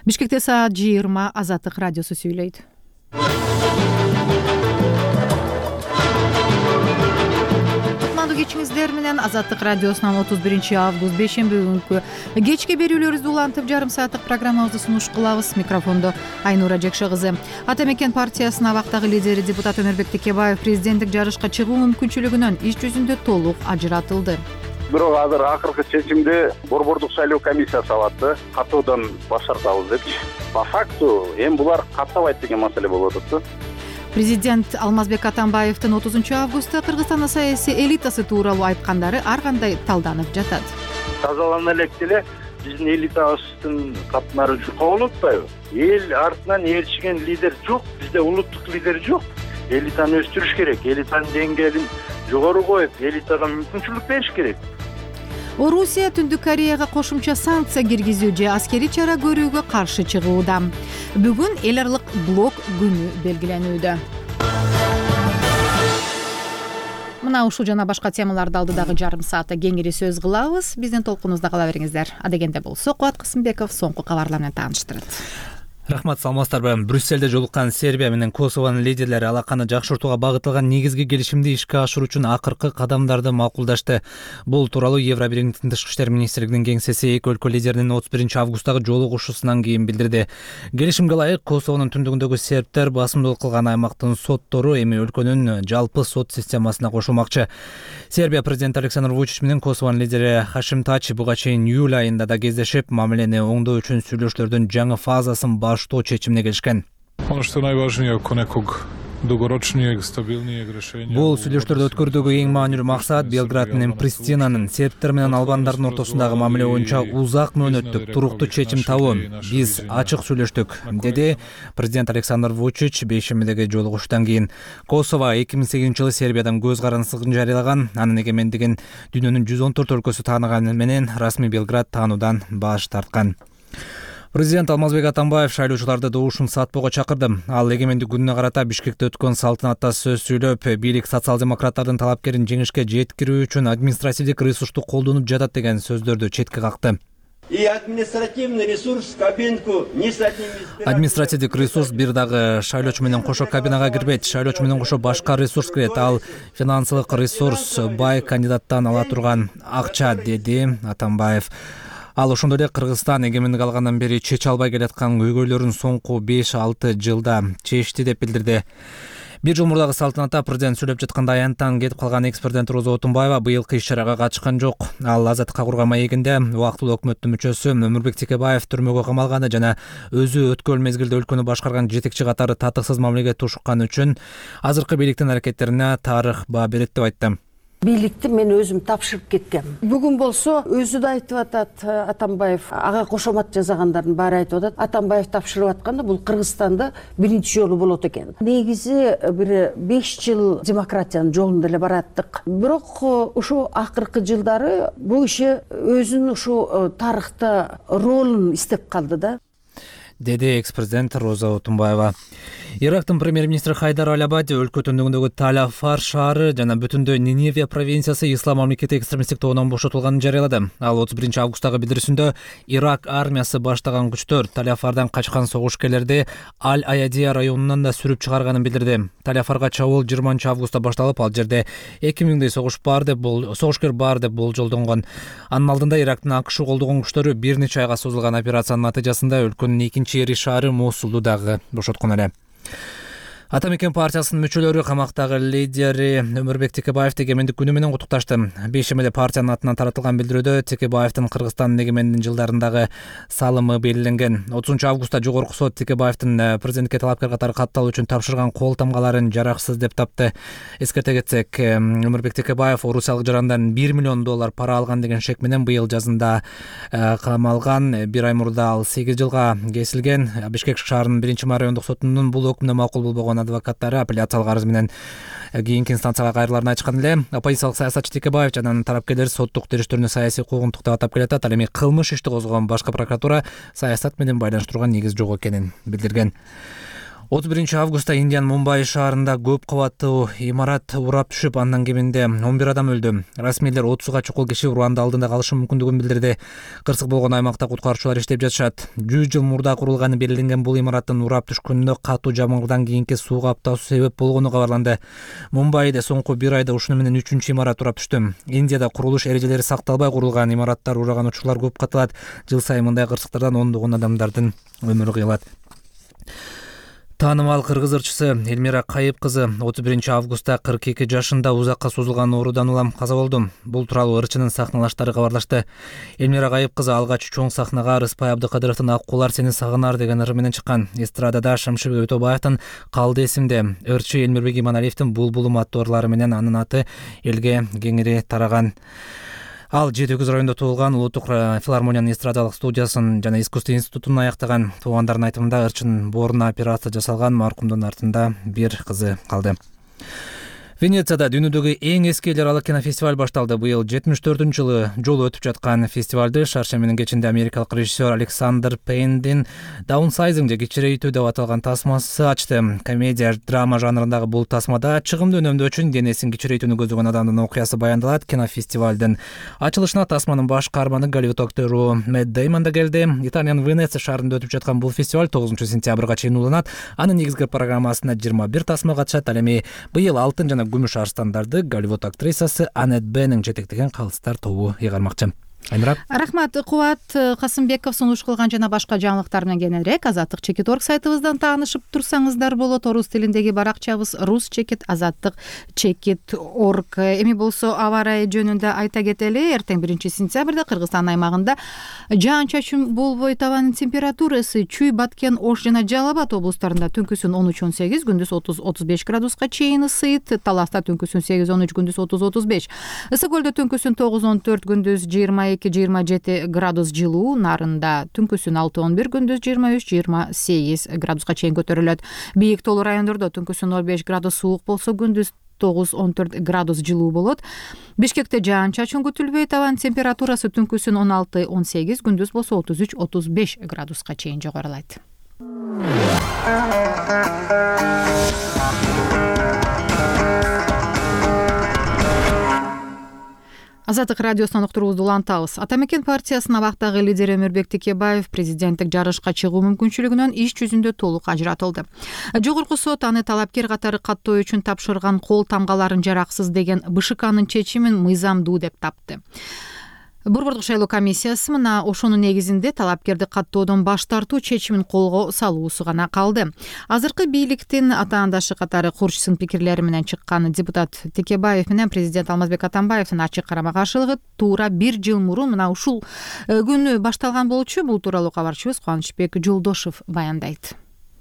Бишкекте саат 20 Азаттык радиосу сүйлөйт. Кечиңиздер менен Азаттык радиосунун 31-август бейшемби күнкү кечки берүүлөрүбүздү улантып жарым сааттык программабызды сунуш кылабыз. Микрофондо Айнура Жекше кызы. Ата Мекен партиясынын абактагы лидери депутат Өмүрбек Текебаев президенттик жарышка чыгуу мүмкүнчүлүгүнөн иш жүзүндө толук ажыратылды. Бирок азыр акыркы чечимди борбордук шайлоо комиссиясы алат, катуудан баш тартабыз депчи. По факту эми булар каттабайт деген маселе болуп атат. Президент Алмазбек Атамбаевдин 30-августта Кыргызстандын саясий элитасы тууралуу айткандары ар кандай талданып жатат. Тазалана элек деле биздин элитабыздын катмары жукап атпайбы? Эл артынан ээрчиген лидер жок, бизде улуттук лидер жок. Элитаны өстүрүш керек, элитанын деңгээлин жогору коюп, элитага мүмкүнчүлүк бериш керек. Орусия Түндүк Кореяга кошумча санкция киргизүү же аскерий чара көрүүгө каршы чыгууда. Бүгүн эл аралык блок күнү белгиленүүдө. Мына ушул жана башка темаларды алдыдагы жарым саатта кеңири сөз кылабыз. Биздин толкунубузда кала бериңиздер. Адегенде болсо Кубат Кысымбеков соңку кабарлар менен тааныштырат. Рахмат, саламатсыздарбы. Брюссельде жолуккан Сербия менен Косованын лидерлери алаканы жакшыртууга багытталган негизги келишимди ишке ашыруу үчүн акыркы кадамдарды макулдашты. Бул тууралуу Евробирингдин тышкы иштер министрлигинин кеңсеси эки өлкө лидеринин 31-августтагы жолугушуусунан кийин билдирди. Келишимге ылайык Косованын түндүгүндөгү сербтер басымдуулук кылган аймактын соттору эми өлкөнүн жалпы сот системасына кошулмакчы. Сербия президенти Александр Вучич менен Косованын лидери Хашим Тач буга чейин июль айында да кездешип, мамилени оңдоо үчүн сүйлөшүүлөрдүн жаңы фазасын баштоо чечимине келишкен. Ono što je najvažnije oko nekog dugoročnijeg, stabilnijeg rješenja. Бул сүйлөштөрдү өткөрүүдөгү эң маанилүү максат Белград менен Пристинанын сербтер менен албандардын ортосундагы мамиле боюнча узак мөөнөттүк туруктуу чечим табуу. Биз ачык сүйлөштүк, деди президент Александр Вучич бейшембидеги жолугушуудан кийин. Косово 2008-жылы Сербиядан көз карандысын жарыялаган, анын эгемендигин дүйнөнүн 114 өлкөсү тааныганы менен расмий Белград таануудан баш тарткан. Президент Алмазбек Атамбаев шайлоочуларды добушун сатпоого чакырды. Ал эгемендик күнүнө карата Бишкекте өткөн салтанатта сөз сүйлөп, бийлик социал-демократтардын талапкерин жеңишке жеткирүү үчүн административдик ресурсту колдонуп жатат деген сөздөрдү четке какты. Административдик ресурс бир дагы шайлоочу менен кошо кабинага кирбейт. Шайлоочу менен кошо башка ресурс кирет. Ал финансылык ресурс, бай кандидаттан ала турган акча, деди Атамбаев. Ал ошондой эле Кыргызстан эгемендик алгандан бери чече албай келаткан көйгөйлөрүн соңку 5-6 жылда чечти деп билдирди. Бир жыл мурдагы салтанатта президент сүйлөп жатканда аянттан кетип калган экс-президент Роза Отунбаева быйылкы иш-чарага катышкан жок. Ал Азаттыкка курган маегинде убактылуу өкмөттүн мүчөсү Өмүрбек Текебаев түрмөгө камалганы жана өзү өткөн мезгилде өлкөнү башкарган жетекчи катары татыксыз мамилеге тушукканы үчүн азыркы бийликтин аракеттерине тарых баа берет деп айтты. Бийликти мен өзүм тапшырып кеткем. Бүгүн болсо өзү да айтып атат Атамбаев, ага кошомат жасагандардын баары айтып атат. Атамбаев тапшырып атканда бул Кыргызстанда биринчи жолу болот экен. Негизи бир 5 жыл демократиянын жолунда эле бараттык. Бирок ушу акыркы жылдары бул иши өзүнүн ушу тарыхта ролун издеп калды да, деди экс-президент Роза Отунбаева. Ирактын премьер-министри Хайдар Аль-Абади өлкө түндүгүндөгү Таль-Афар шаары жана бүтүндөй Ниневия провинциясы ислам мамлекети экстремисттик тобунан бошотулганын жарыялады. Ал 31-августтагы билдирүүсүндө Ирак армиясы баштаган күчтөр Таль-Афардан качкан согушкерлерди Аль-Аядия районунан да сүрүп чыгарганын билдирди. Таль-Афарга чабуул 20-августта башталып, ал жерде 2000 согушкер бар деп болжолдонгон. Анын алдында Ирактын АКШ колдогон күчтөрү бир нече айга созулган операциянын натыйжасында өлкөнүн экинчи ири шаары Мосулду дагы бошоткон эле. Ата Мекен партиясынын мүчөлөрү камактагы лидери Өмүрбек Текебаевди эгемендик күнү менен куттукташты. Бейшембиде партиянын атынан таратылган билдирүүдө Текебаевдин Кыргызстандын эгемендигин жылдарындагы салымы белгиленген. 30-августта жогорку сот Текебаевдин президентке талапкер катары катталуу үчүн тапшырган кол тамгаларын жараксыз деп тапты. Эскерте кетсек, Өмүрбек Текебаев орусиялык жарандан $1 миллион пара алган деген шек менен быйыл жазында камалган. Бир ай мурда ал 8 жылга кесилген. Бишкек шаарынын 1-май райондук сотунун бул өкүмүнө макул болбогон адвокаттары апелляциялык арыз менен кийинки инстанцияга кайрыларын айткан эле. Оппозициялык саясатчы Текебаев жана анын тарапташылары соттук териштирүүнү саясий куугунтук деп атап келет. Ал эми кылмыш ишти козгогон башкы прокуратура саясат менен байланыштырууга негиз жок экенин билдирген. 31-августта Индиянын Мумбай шаарында көп кабаттуу имарат урап түшүп, андан кеминде 11 адам өлдү. Расмийлер 30га чукул киши уранда алдында калышы мүмкүндүгүн билдирди. Кырсык болгон аймакта куткаруучулар иштеп жатышат. 100 жыл мурда курулганы белгиленген бул имараттын урап түшкөнүнө катуу жамгырдан кийинки суу каптоосу себеп болгону кабарланды. Мумбайда соңку бир айда ушуну менен 3-үчү имарат урап түштү. Индияда курулуш эрежелери сакталбай курулган имараттар ураган учурлар көп катылат. Жыл сайын мындай кырсыктардан ондогон адамдардын өмүрү кыйылат. Таанымал кыргыз ырчысы Элмира Кайып кызы 31-августта 42 жашында узакка созулган оорудан улам каза болду. Бул тууралуу ырчынын сахналаштары кабарлашты. Элмира Кайып кызы алгач чоң сахнага Рыспай Абдыкадыровдун Ак куулар сени сагынар деген ыры менен чыккан. Эстрадада Шамшыбек Өтөбаевдин Калды эсимде, ырчы Элмирбек Иманалиевдин Булбулум аттуу ырлары менен анын аты элге кеңири тараган. Ал Жети Өгүз районунда туулган, Улуттук филармониянын эстрадалык студиясын жана искусство институтун аяктаган. Туугандардын айтымында ырчынын бооруна операция жасалган, маркумдун артында бир кызы калды. Венецияда дүйнөдөгү эң эски эл аралык кинофестиваль башталды. Быйыл 74-жылы жолу өтүп жаткан фестивалды шаршеминин кечинде америкалык режиссер Александр Пейндин Downsizing же кичирейтүү деп аталган тасмасы ачты. Комедия, драма жанрындагы бул тасмада чыгымды үнөмдөө үчүн денесин кичирейтүүнү көздөгөн адамдын окуясы баяндалат. Кинофестивалдын ачылышына тасманын баш каарманы Голливуд актеру Мэтт Деймон да келди. Италиянын Венеция шаарында өтүп жаткан бул фестиваль 9-сентябрга чейин уланат. Анын негизги программасына 21 тасма катышат. Ал эми быйыл алтын жана күмүш арстандарды Голливуд актрисасы Аннет Беннин жетектеген калыстар тобу ыйгармакчы. Айнура. Рахмат. Кубат Касымбеков сунуш кылган жана башка жаңылыктар менен кененирээк Азаттык Чекит.орг сайтыбыздан таанышып турсаңыздар болот. Орус тилиндеги баракчабыз Рус Чекит, Азаттык Чекит.орg. Эми болсо аба ырайы жөнүндө айта кетели. Эртең 1-сентябрда Кыргызстан аймагында жаан-чачын болбой, табанын температурасы Чүй, Баткен, Ош жана Жалал Абад облустарында түнкүсүн 13-18, күндүз 30-35 градуска чейин ысыйт. Таласта түнкүсүн 8-13, күндүз 30-35. Ысык көлдө түнкүсүн 9-14, күндүз 22-27 градус жылуу. Нарында түнкүсүн 6-11, күндүз 23-28 градуска чейин көтөрүлөт. Бийик тоолуу райондордо түнкүсүн 05 градус суук болсо, күндүз 9-14 градус жылуу болот. Бишкекте жаан-чачын күтүлбөйт. Абанын температурасы түнкүсүн 16-18, күндүз болсо 33-35 градуска чейин жогорулайт. Азаттык радиосунан уктуруубузду улантабыз. Атамекен партиясынын абактагы лидери Өмүрбек Текебаев президенттик жарышка чыгуу мүмкүнчүлүгүнөн иш жүзүндө толук ажыратылды. Жогорку сот аны талапкер катары каттоо үчүн тапшырган кол тамгаларын жараксыз деген БШКнын чечимин мыйзамдуу деп тапты. Борбордук шайлоо комиссиясы мына ошонун негизинде талапкерди каттоодон баш тартуу чечимин колго салуусу гана калды. Азыркы бийликтин атаандашы катары Курчсун пикирлери менен чыккан депутат Текебаев менен президент Алмазбек Атамбаевдин ачык карама каршылыгы туура 1 жыл мурун мына ушул күнү башталган болчу. Бул тууралуу кабарчыбыз Кубанычбек Жолдошев баяндайт.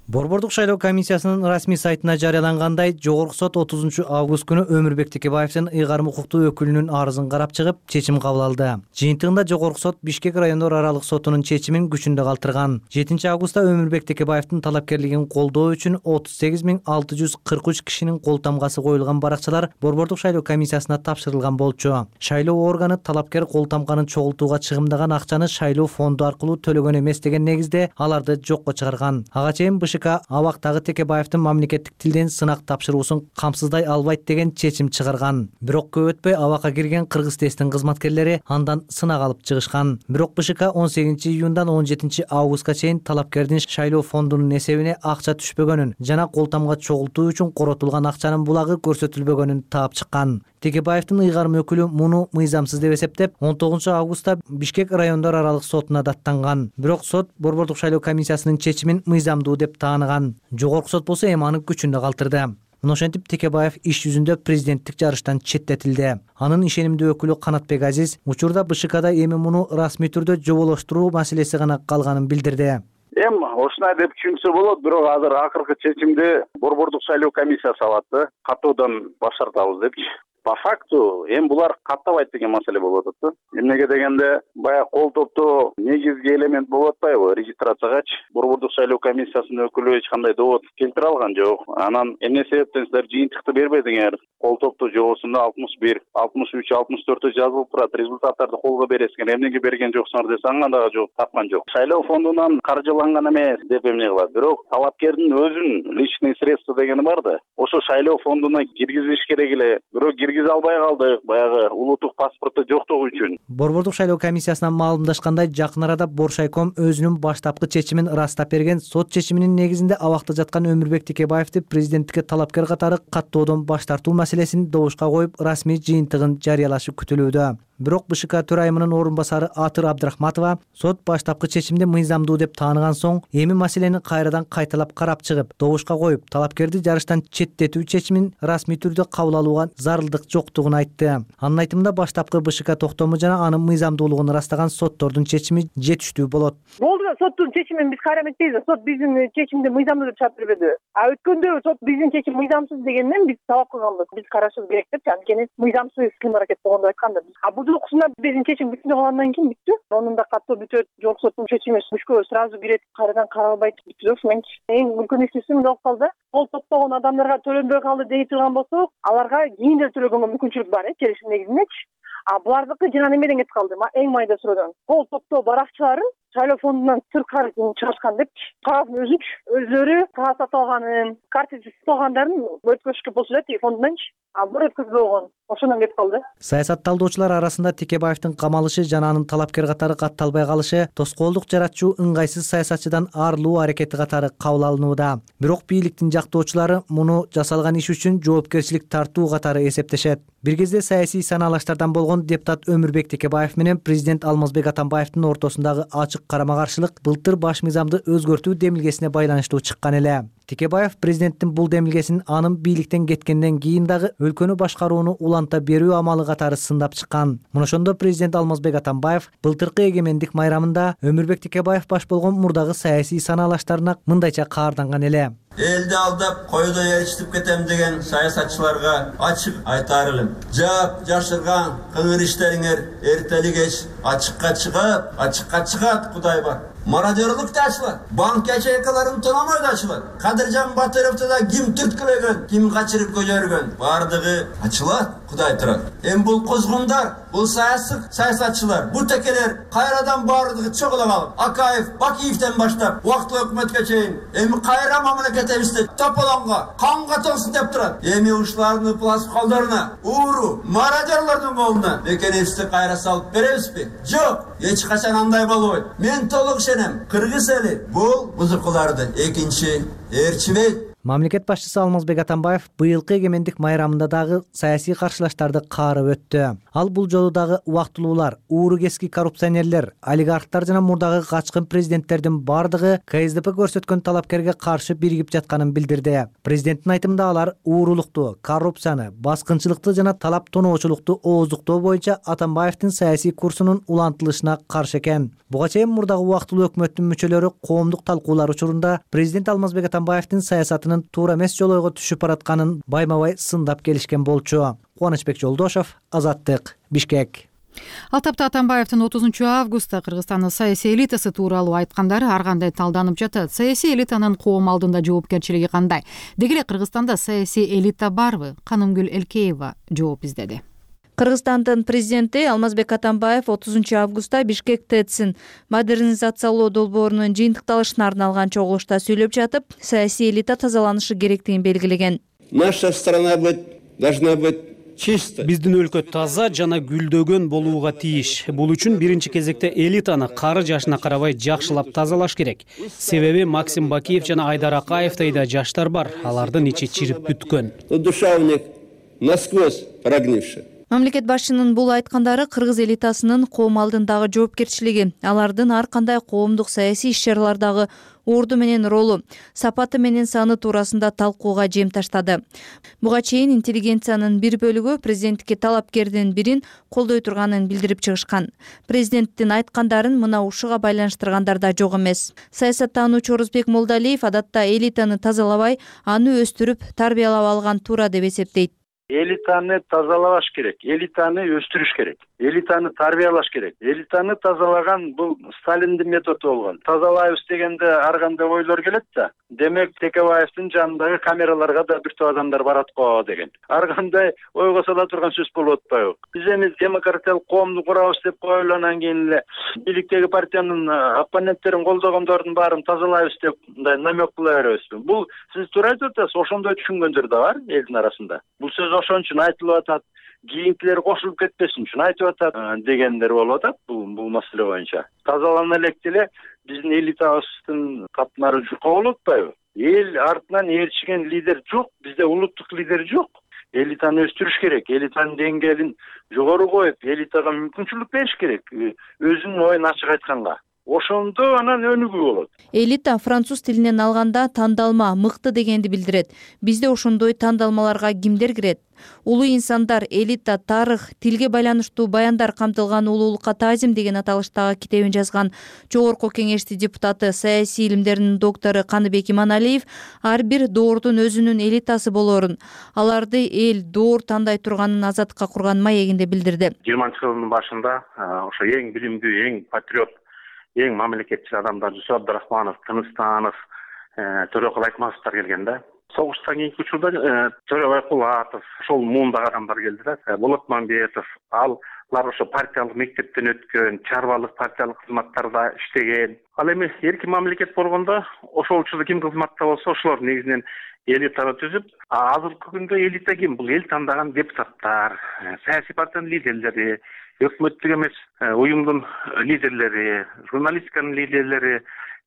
Борбордук шайлоо комиссиясынын расмий сайтына жарыялангандай, Жогорку сот 30-август күнү Өмүрбек Текебаевдин ыйгарым укуктуу өкүлүнүн арызын карап чыгып, чечим кабыл алды. Жыйынтыгында Жогорку сот Бишкек райондор аралык сотунун чечимин күчүндө калтырган. 7-августта Өмүрбек Текебаевдин талапкерлигин колдоо үчүн 38.643 кишинин кол тамгасы коюлган баракчалар Борбордук шайлоо комиссиясына тапшырылган болчу. Шайлоо органы талапкер кол тамганын чогултууга чыгымдаган акчаны шайлоо фонду аркылуу төлөгөн эмес деген негизде аларды жокко чыгарган. Ага чейин абактагы Текебаевдин мамлекеттик тилден сынак тапшыруусун камсыздай албайт деген чечим чыгарган. Бирок көп өтпөй абакка кирген Кыргыз тесттин кызматкерлери андан сынак алып чыгышкан. Бирок БШК 18-июндан 17-августка чейин талапкердин шайлоо фондунун эсебине акча түшпөгөнүн жана кол тамга чогултуу үчүн коротулган акчанын булагы көрсөтүлбөгөнүн таап чыккан. Текебаевдин ыйгарым өкүлү муну мыйзамсыз деп эсептеп, 19-августта Бишкек райондор аралык сотуна даттанган. Бирок сот Борбордук шайлоо комиссиясынын чечимин мыйзамдуу деп таанаган. Жогорку сот болсо эми аны күчүндө калтырды. Мына ошентип Текебаев иш жүзүндө президенттик жарыштан четтетилди. Анын ишенимдүү өкүлү Канатбек Азиз учурда БШКда эми муну расмий түрдө жоболоштуруу маселеси гана калганын билдирди. Эми ушундай деп түшүнсө болот, бирок азыр акыркы чечимди Борбордук шайлоо комиссиясы алат, каттоодон баш тартабыз депчи. По факту эми булар каттабайт деген маселе болуп атат. Эмнеге дегенде, баягы кол топтоо негизги элемент болуп атпайбы? Регистрациягачы Борбордук шайлоо комиссиясынын өкүлү эч кандай довод келтире алган жок. Анан эмне себептен силер жыйынтыкты бербедиңер? Кол топтоо жобосунда 61, 63, 64 жазылып турат. Результаттарды колго бересиңер. Эмнеге берген жоксуңар десе аңа дагы жок тапкан жок. Шайлоо фондунан каржыланган эме эмес деп эмне кылат. Бирок талапкердин өзүнүн личный средства дегени бар да. Ошо шайлоо фондуна киргизиш керек эле. Бирок киргизе албай калдык, баягы улуттук паспорту жоктугу үчүн. Борбордук шайлоо комиссиясынан маалымдашкандай, жакын арада Боршайком өзүнүн баштапкы чечимин ырастап берген. Сот чечиминин негизинде абакта жаткан Өмүрбек Текебаевди президенттикке талапкер катары каттоодон баш тартуу маселесин добушка коюп, расмий жыйынтыгын жарыялашы күтүлүүдө. Бирок БШК төрайымынын орун басары Атыр Абдрахматова сот баштапкы чечимди мыйзамдуу деп тааныган соң, эми маселени кайрадан кайталап карап чыгып, добушка коюп, талапкерди жарыштан четтетүү чечимин расмий түрдө кабыл алууга зарылдык жоктугун айтты. Анын айтымында баштапкы БШК токтому жана анын мыйзамдуулугун ырастаган соттордун чечими жетиштүү болот. Болду да, соттун чечимин биз кайра эметпейбиз. Сот биздин чечимди мыйзамдуу деп чыгып бербеди. Өткөндө сот биздин чечим мыйзамсыз дегенден биз талап кылганбыз. Биз карашыбыз керек деп, анткени мыйзамсыз кыйм-аракет болгондо айтканбыз. Бул уксунда биздин чечим бүтүндө калгандан кийин бүттү. Онун да каттоо бүтөт, жогорку соттун чечими мүшкө сразу кирет, кайрадан каралбайт, бүттү. Ошомен эң үлкөн иштүүсү эмне болуп калды? Кол топтогон адамдарга төлөнбөй калды дей турган болсок, аларга кийин төлөгөнгө мүмкүнчүлүк бар, келишим негизинде. Булардыкы жана немеден кетип калды? Эң майда суроодан. Кол топтоо баракчыларын шайлоо фондунан сырткары чыгышкан деп, кагаздын өздөрү кагаз сатып алганын, карточка сатып алгандарын өткөзүшкө болчу да тиги фондунанчы. Бир өткөзбөй болгон. Ошондон кетип калды. Саясат талдоочулар арасында Текебаевдин камалышы жана анын талапкер катары катталбай калышы тоскоолдук жаратчу ыңгайсыз саясатчыдан арылуу аракети катары кабыл алынууда. Бирок бийликтин жактоочулары муну жасалган иш үчүн жоопкерчилик тартуу катары эсептешет. Бир кезде саясий санаалаштардан болгон депутат Өмүрбек Текебаев менен президент Алмазбек Атамбаевдин ортосундагы ачык карама-каршылык былтыр баш мыйзамды өзгөртүү демилгесине байланыштуу чыккан эле. Текебаев президенттин бул демилгесин анын бийликтен кеткенден кийин дагы өлкөнү башкарууну уланта берүү амалы катары сындап чыккан. Мына ошондо президент Алмазбек Атамбаев былтыркы эгемендик майрамында Өмүрбек Текебаев баш болгон мурдагы саясий санаалаштарына мындайча каарданган эле. Элди алдап, койдо ээрчитип кетем деген саясатчыларга ачык айтаар элем. Жап жашырган кыңыр иштериңер эртели кеч ачыкка чыгат, Кудай бар. Мародерлык да ачылат, банк ячейкаларын тономой да ачылат. Кадыржан Батыровду да ким түрткүлөгөн, ким качырып көжөргөн, бардыгы ачылат, Кудай турат. Эми бул козгундар, бул саясатчылар, бул текелер кайрадан бардыгы чогула калып, Акаев, Бакиевден баштап, убактылуу өкмөткө чейин эми кайра мамлекетибизди тополонго, канга толсун деп турат. Эми ушулардын пласт колдоруна, ууру, мародерлордун колуна экенибизди кайра салып беребизби? Жок, эч качан андай болбойт. Мен толук Кыргыз эли бул бузукуларды экинчи ээрчибейт. Мамлекет башчысы Алмазбек Атамбаев быйылкы эгемендик майрамында дагы саясий каршылаштарды каарып өттү. Ал бул жолу дагы убактылуулар, ууру кески коррупционерлер, олигархтар жана мурдагы качкын президенттердин бардыгы КСДП көрсөткөн талапкерге каршы биригип жатканын билдирди. Президенттин айтымында алар уурулукту, коррупцияны, баскынчылыкты жана талап тоноочулукту ооздуктоо боюнча Атамбаевдин саясий курсунун улантылышына каршы экен. Буга чейин мурдагы убактылуу өкмөттүн мүчөлөрү коомдук талкуулар учурунда президент Алмазбек Атамбаевдин саясатын туура эмес жолойго түшүп баратканын байма-бай сындап келишкен болчу. Кубанычбек Жолдошов, Азаттык, Бишкек. Ал тапта Атамбаевдин 30 августта Кыргызстандын саясий элитасы тууралуу айткандары ар кандай талданып жатат. Саясий элитанын коом алдында жоопкерчилиги кандай? Деги эле Кыргызстанда саясий элита барбы? Канымгүл Элкеева жооп издеди. Кыргызстандын президенти Алмазбек Атамбаев 30 августта Бишкек ТЭЦин модернизациялоо долбоорунун жыйынтыкталышына арналган чогулушта сүйлөп жатып, саясий элита тазаланышы керектигин белгилеген. Наша страна должна быть чисто. Биздин өлкө таза жана гүлдөгөн болууга тийиш. Бул үчүн биринчи кезекте элитаны кары жашына карабай жакшылап тазалаш керек. Себеби Максим Бакиев жана Айдар Акаевдей да жаштар бар. Алардын ичи чирип бүткөн. Душа у них насквозь прогнившая. Мамлекет башчынын бул айткандары кыргыз элитасынын коом алдындагы жоопкерчилиги, алардын ар кандай коомдук саясий иш-чаралардагы орду менен ролу, сапаты менен саны туурасында талкууга жем таштады. Буга чейин интеллигенциянын бир бөлүгү президенттикке талапкердин бирин колдой турганын билдирип чыгышкан. Президенттин айткандарын мына ушуга байланыштыргандар да жок эмес. Саясаттануучу Орозбек Молдалиев адатта элитаны тазалабай, аны өстүрүп, тарбиялап алган туура деп эсептейт. Элитаны тазалаш керек, элитаны өстүрүш керек, элитаны тарбиялаш керек. Элитаны тазалаган бул Сталиндин методу болгон. Тазалайбыз дегенде ар кандай ойлор келет да. Демек Текебаевдин жанындагы камераларга да бир топ адамдар барат го деген. Ар кандай ойго сала турган сөз болуп атпайбы? Биз эми демократиялык коомду курабыз деп коелу, анан кийин эле бийликтеги партиянын оппоненттерин колдогондордун баарын тазалайбыз деп мындай намек кыла беребизби? Бул сиз туура айтып атасыз, ошондой түшүнгөндөр да бар элдин арасында. Бул сөз ошон үчүн айтылып атат, кийинкилер кошулуп кетпесин үчүн айтып атат дегендер болуп атат бул маселе боюнча. Тазалана элек деле биздин элитабыздын катмары жука болуп атпайбы? Эл артынан ээрчиген лидер жок, бизде улуттук лидер жок. Элитаны өстүрүш керек, элитанын деңгээлин жогору коюп, элитага мүмкүнчүлүк бериш керек, өзүнүн оюн ачык айтканга. Ошондо анан өнүгүү болот. Элита француз тилинен алганда тандалма, мыкты дегенди билдирет. Бизде ошондой тандалмаларга кимдер кирет? Улуу инсандар, элита, тарых, тилге байланыштуу баяндар камтылган улуулукка таазим деген аталыштагы китебин жазган Жогорку Кеңештин депутаты, саясий илимдердин доктору Каныбек Иманалиев ар бир доордун өзүнүн элитасы болоорун, аларды эл доор тандай турганын азаттыкка курган маегинде билдирди. 20-жылдын башында ошо эң билимдүү, эң патриот, эң мамлекетчил адамдар Жусуп Абдрахманов, Тыныстанов, Төрөкул Айтматовдор келген да. Согуштан кийинки учурда Төрөбай Кулатов, ошол муундагы адамдар келди да. Болот Мамбетов, алар ошо партиялык мектептен өткөн, чарбалык партиялык кызматтарда иштеген. Ал эми эркин мамлекет болгондо ошол учурда ким кызматта болсо ошолор негизинен элитаны түзүп, азыркы күндө элита ким? Бул эл тандаган депутаттар, саясий партиянын лидерлери, өкмөттүк эмес уюмдун лидерлери, журналистиканын лидерлери,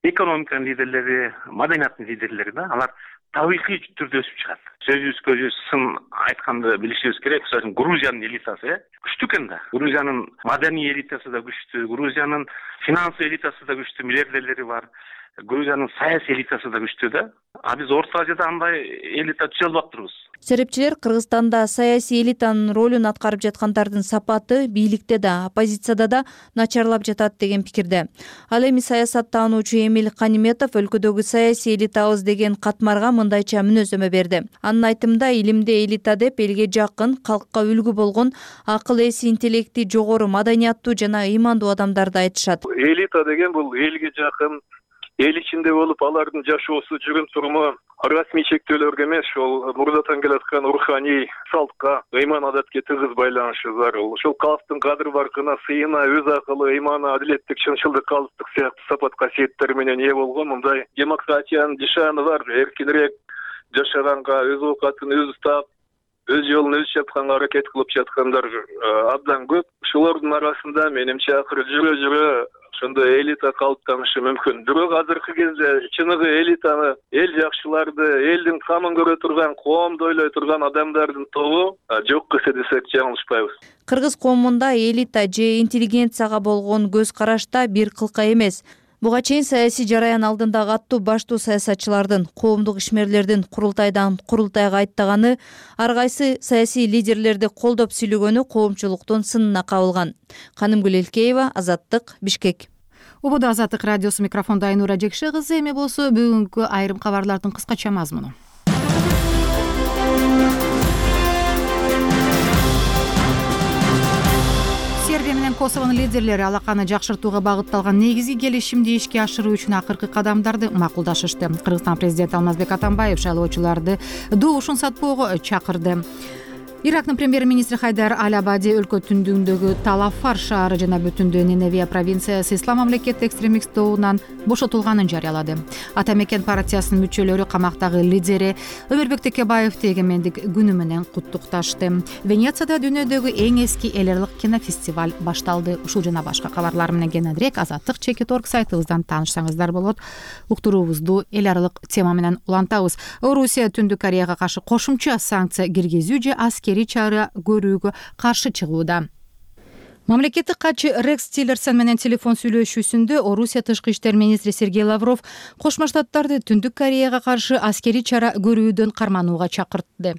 экономиканын лидерлери, маданияттын лидерлери да. Алар табигый түрдө өсүп чыгат. Сөзүбүзгө сын айтканды билишибиз керек. Грузиянын элитасы күчтүү экен да. Грузиянын маданий элитасы да күчтүү, Грузиянын финансый элитасы да күчтүү, миллиардерлери бар. Грузиянын саясий элитасы да күчтүү да. А биз Орто Азияда андай элита түзө албаптырбыз. Серепчилер Кыргызстанда саясий элитанын ролун аткарып жаткандардын сапаты бийликте да, оппозицияда да начарлап жатат деген пикирде. Ал эми саясаттануучу Эмиль Каниметов өлкөдөгү саясий элитабыз деген катмарга мындайча мүнөздөмө берди. Анын айтымында, илимде элита деп элге жакын, калкка үлгү болгон, акыл эси, интеллекти жогору, маданияттуу жана ыймандуу адамдарды айтышат. Элита деген бул элге жакын, эл ичинде болуп, алардын жашоосу, жүрүм туруму расмий чектөөлөргө эмес, ошол мурдатан келаткан руханий салтка, ыйман адатке тыгыз байланышы зарыл. Ошол калктын кадыр баркына, сыйына, өз акылы, ыйманы, адилеттик, чынчылдык, калыстык сыяктуу сапат касиеттер менен ээ болгон мындай демократиянын жашааны бар. Эркинирээк жашаганга, өз оокатын өзү таап, өз жолун өзү чапканга аракет кылып жаткандар абдан көп. Ошолордун арасында менимче акыры жүрө ошондой элита калыптанышы мүмкүн. Бирок азыркы кезде чыныгы элитаны, эл жакшыларды, элдин камын көрө турган, коомду ойлой турган адамдардын тобу жок кесе десек жаңылышпайбыз. Кыргыз коомунда элита же интеллигенцияга болгон көз карашта бир кылка эмес. Буга чейин саясий жараян алдындагы аттуу баштуу саясатчылардын, коомдук ишмерлердин курултайдан курултайга айттаганы, ар кайсы саясий лидерлерди колдоп сүйлөгөнү коомчулуктун сынына кабылган. Канымгүл Элкеева, Азаттык, Бишкек. Убуда Азаттык радиосу, микрофондо Айнура Жекше кызы. Эми болсо бүгүнкү айрым кабарлардын кыскача мазмуну. Сербия менен Косовонун лидерлери алаканы жакшыртууга багытталган негизги келишимди ишке ашыруу үчүн акыркы кадамдарды макулдашышты. Кыргызстан президенти Алмазбек Атамбаев шайлоочуларды добушун сатпоого чакырды. Ирактын премьер-министри Хайдар Аль-Абади өлкө түндүгүндөгү Талафар шаары жана бүтүндүү Ниневия провинциясы ислам мамлекети экстремист тобунан бошотулганын жарыялады. Ата мекен партиясынын мүчөлөрү камактагы лидери Өмүрбек Текебаевди эгемендик күнү менен куттукташты. Венецияда дүйнөдөгү эң эски эл аралык кинофестиваль башталды. Ушул жана башка кабарлар менен кененирээк Азаттык.org сайтыбыздан таанышсаңыздар болот. Уктуруубузду эл аралык тема менен улантабыз. Орусия Түндүк Кореяга каршы кошумча санкция киргизүү же аскерий чара көрүүгө каршы чыгууда. Мамлекеттик катчы Рекс Тиллерсон менен телефон сүйлөшүүсүндө Орусия тышкы иштер министри Сергей Лавров Кошмо Штаттарды Түндүк Кореяга каршы аскерий чара көрүүдөн карманууга чакыртты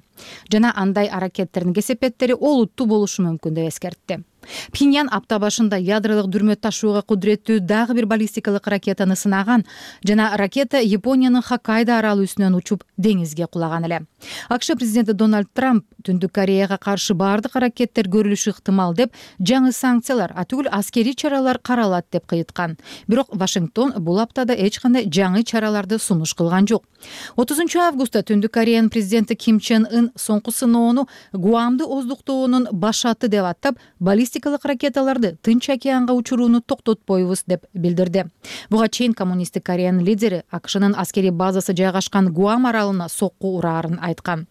жана андай аракеттердин кесепеттери олуттуу болушу мүмкүн деп эскертти. Пхеньян апта башында ядролук дүрмө ташууга кудуреттүү дагы бир баллистикалык ракетаны сынаган жана ракета Япониянын Хоккайдо аралы үстүнөн учуп деңизге кулаган эле. АКШ президенти Дональд Трамп Түндүк Кореяга каршы бардык аракеттер көрүлүшү ыктымал деп жаңы санкциялар, атүгүл аскерий чаралар каралат деп кыйыткан. Бирок Вашингтон бул аптада эч кандай жаңы чараларды сунуш кылган жок. 30 августта Түндүк Кореянын президенти Ким Чен Ын соңку сыноону Гуамды оздуктоонун башаты деп аттап, баллистикалык ракеталарды Тынч океанга учурууну токтотпойбуз деп билдирди. Буга чейин коммунисттик Кореянын лидери АКШнын аскерий базасы жайгашкан Гуам аралына сокку ураарын айткан.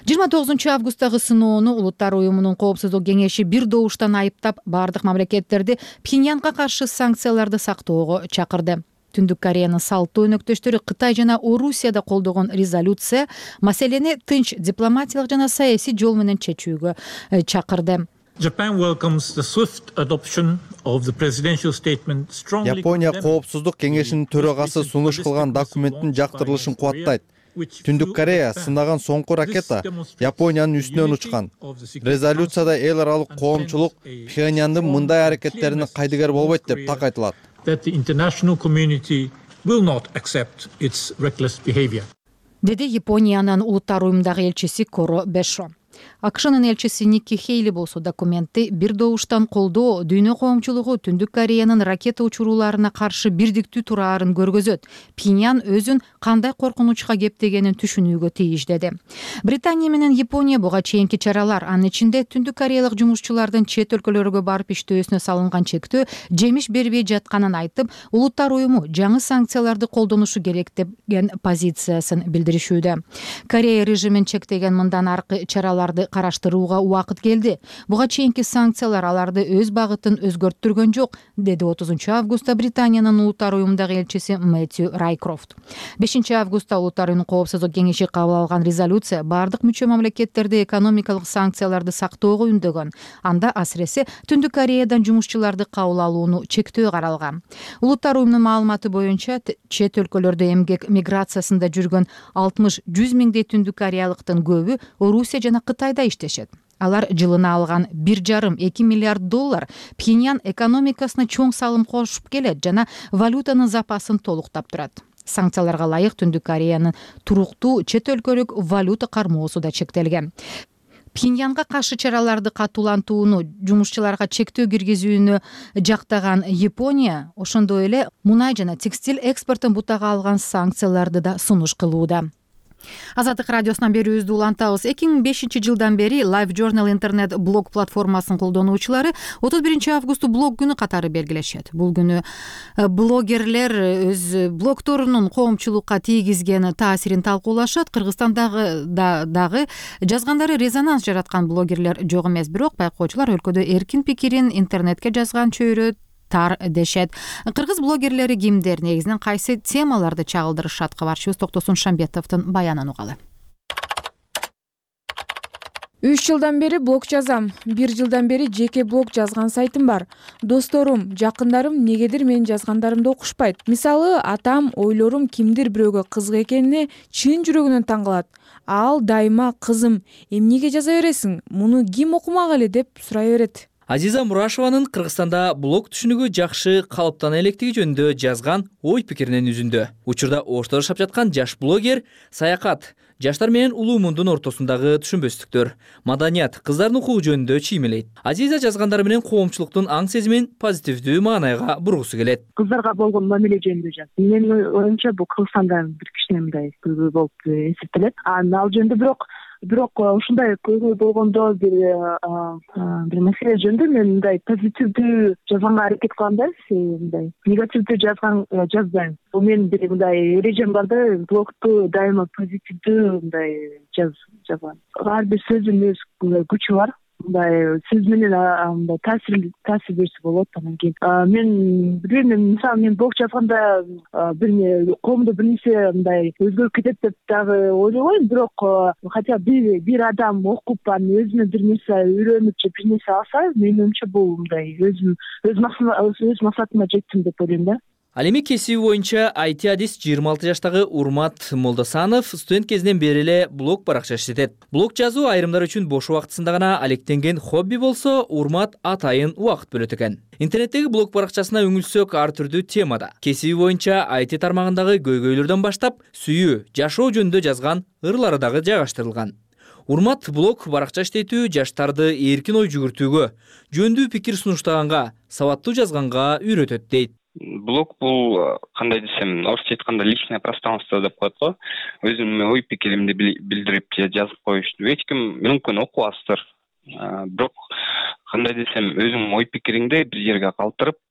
29 августтагы сыноону Улуттар уюмунун коопсуздук кеңеши бир добуштан айыптап, бардык мамлекеттерди Пхеньянга каршы санкцияларды сактоого чакырды. Түндүк Кореянын салттуу өнөктөштөрү Кытай жана Орусияда колдогон резолюция маселени тынч дипломатиялык жана саясий жол менен чечүүгө чакырды. Япония коопсуздук кеңешинин төрагасы сунуш кылган документтин жактырылышын кубаттайт. Түндүк Корея сынаган соңку ракета Япониянын үстүнөн учкан. Резолюцияда эл аралык коомчулук Пхеньяндын мындай аракеттерине кайдыгер болбойт деп так айтылат. Деди Япониянын Улуттар уюмундагы элчиси Коро Бешо. АКШнын элчиси Никки Хейли болсо документти бир добуштан колдоо дүйнө коомчулугу Түндүк Кореянын ракета учурууларына каршы бирдиктүү тураарын көргөзөт. Пхеньян өзүн кандай коркунучка кептегенин түшүнүүгө тийиш деди. Британия менен Япония буга чейинки чаралар, анын ичинде Түндүк Кореялык жумушчулардын чет өлкөлөргө барып иштөөсүнө салынган чектөө жемиш бербей жатканын айтып, Улуттар уюму жаңы санкцияларды колдонушу керек деген позициясын билдиришүүдө. Корея режимин чектеген мындан аркы чараларды караштырууга убакыт келди. Буга чейинки санкциялар аларды өз багытын өзгөрттүргөн жок, деди 30 августта Британиянын Улуттар уюмундагы элчиси Мэтью Райкрофт. 5 августта Улуттар уюмунун коопсуздук кеңеши кабыл алган резолюция бардык мүчө мамлекеттерди экономикалык санкцияларды сактоого үндөгөн. Анда асыресе Түндүк Кореядан жумушчуларды кабыл алууну чектөө каралган. Улуттар уюмунун маалыматы боюнча чет өлкөлөрдө эмгек миграциясында жүргөн 60-100 миңдей Түндүк Кореялыктын көбү Орусия жана Кытайда иштешет. Алар жылына алган 1,5-2 миллиард доллар Пхеньян экономикасына чоң салым кошуп келет жана валютанын запасын толуктап турат. Санкцияларга ылайык Түндүк Кореянын туруктуу чет өлкөлүк валюта кармоосу да чектелген. Пхеньянга каршы чараларды катуулантууну, жумушчуларга чектөө киргизүүнү жактаган Япония ошондой эле мунай жана текстиль экспортун бутага алган санкцияларды да сунуш кылууда. Азаттык радиосунан берүүбүздү улантабыз. 2005 жылдан бери Live Journal интернет блог платформасынын колдонуучулары 31 августу блог күнү катары белгилешет. Бул күнү блогерлер өз блогторунун коомчулукка тийгизген таасирин талкуулашат. Кыргызстандагы дагы жазгандары резонанс жараткан блогерлер жок эмес, бирок байкоочулар өлкөдө эркин пикирин интернетке жазган чөйрө тар дешет. Кыргыз блогерлери кимдер, негизинен кайсы темаларды чагылдырышат? Кабарчыбыз Токтосун Шамбетовдун баянын угалы. 3 жылдан бери блог жазам. 1 жылдан бери жеке блог жазган сайтым бар. Досторум, жакындарым негедир менин жазгандарымды окушпайт. Мисалы, атам ойлорум кимдир бирөөгө кызык экенине чын жүрөгүнөн таң калат. Ал дайыма кызым, эмнеге жаза бересиң? Муну ким окумак эле деп сурай берет. Азиза Мурашеванын Кыргызстанда блог түшүнүгү жакшы калыптана электиги жөнүндө жазган ой пикиринен үзүндү. Учурда ошто жашап жаткан жаш блогер саякат, жаштар менен улуу мундун ортосундагы түшүнбөстүктөр, маданият, кыздардын укугу жөнүндө чиймелейт. Азиза жазгандары менен коомчулуктун аң сезимин позитивдүү маанайга бургусу келет. Кыздарга болгон мамиле жөнүндө жаз. Менин оюмча бул Кыргызстанда бир кичине мындай көйгөй болуп эсептелет. Ал жөнүндө бирок ушундай көйгөй болгондо бир маселе жөнүндө мен мындай позитивдүү жазганга аракет кылам да, мындай негативдүү жазбайм. Бул менин бир мындай эрежем бар да, блогту дайыма позитивдүү мындай жазган. Ар бир сөздүн өз күчү бар. Мындай сөз менен мындай таасир берсе болот. Анан кийин мен билбейм, мисалы мен блог жазганда коомдо бир нерсе мындай өзгөрүп кетет деп дагы ойлобойм, бирок хотя бир адам окуп анан өзүнө бир нерсе үйрөнүп же бир нерсе алса, менин оюмча бул мындай өз максатыма жеттим деп ойлойм да. Ал эми кесиби боюнча IT адис 26 жаштагы Урмат Молдосанов студент кезинен бери эле блог баракча иштетет. Блог жазуу айрымдар үчүн бош убактысында гана алектенген хобби болсо, Урмат атайын убакыт бөлөт экен. Интернеттеги блог баракчасына үңүлсөк ар түрдүү темада. Кесиби боюнча IT тармагындагы көйгөйлөрдөн баштап, сүйүү, жашоо жөнүндө жазган ырлары дагы жайгаштырылган. Урмат блог баракча иштетүү жаштарды эркин ой жүгүртүүгө, жөндүү пикир сунуштаганга, сабаттуу жазганга үйрөтөт дейт. Блог бул кандай десем, орусча айтканда личное пространство деп коет го. Өзүмдүн ой пикиримди билдирип жазып коюшту. Эч ким мүмкүн окубастыр. Бирок кандай десем, өзүңдүн ой пикириңди бир жерге калтырып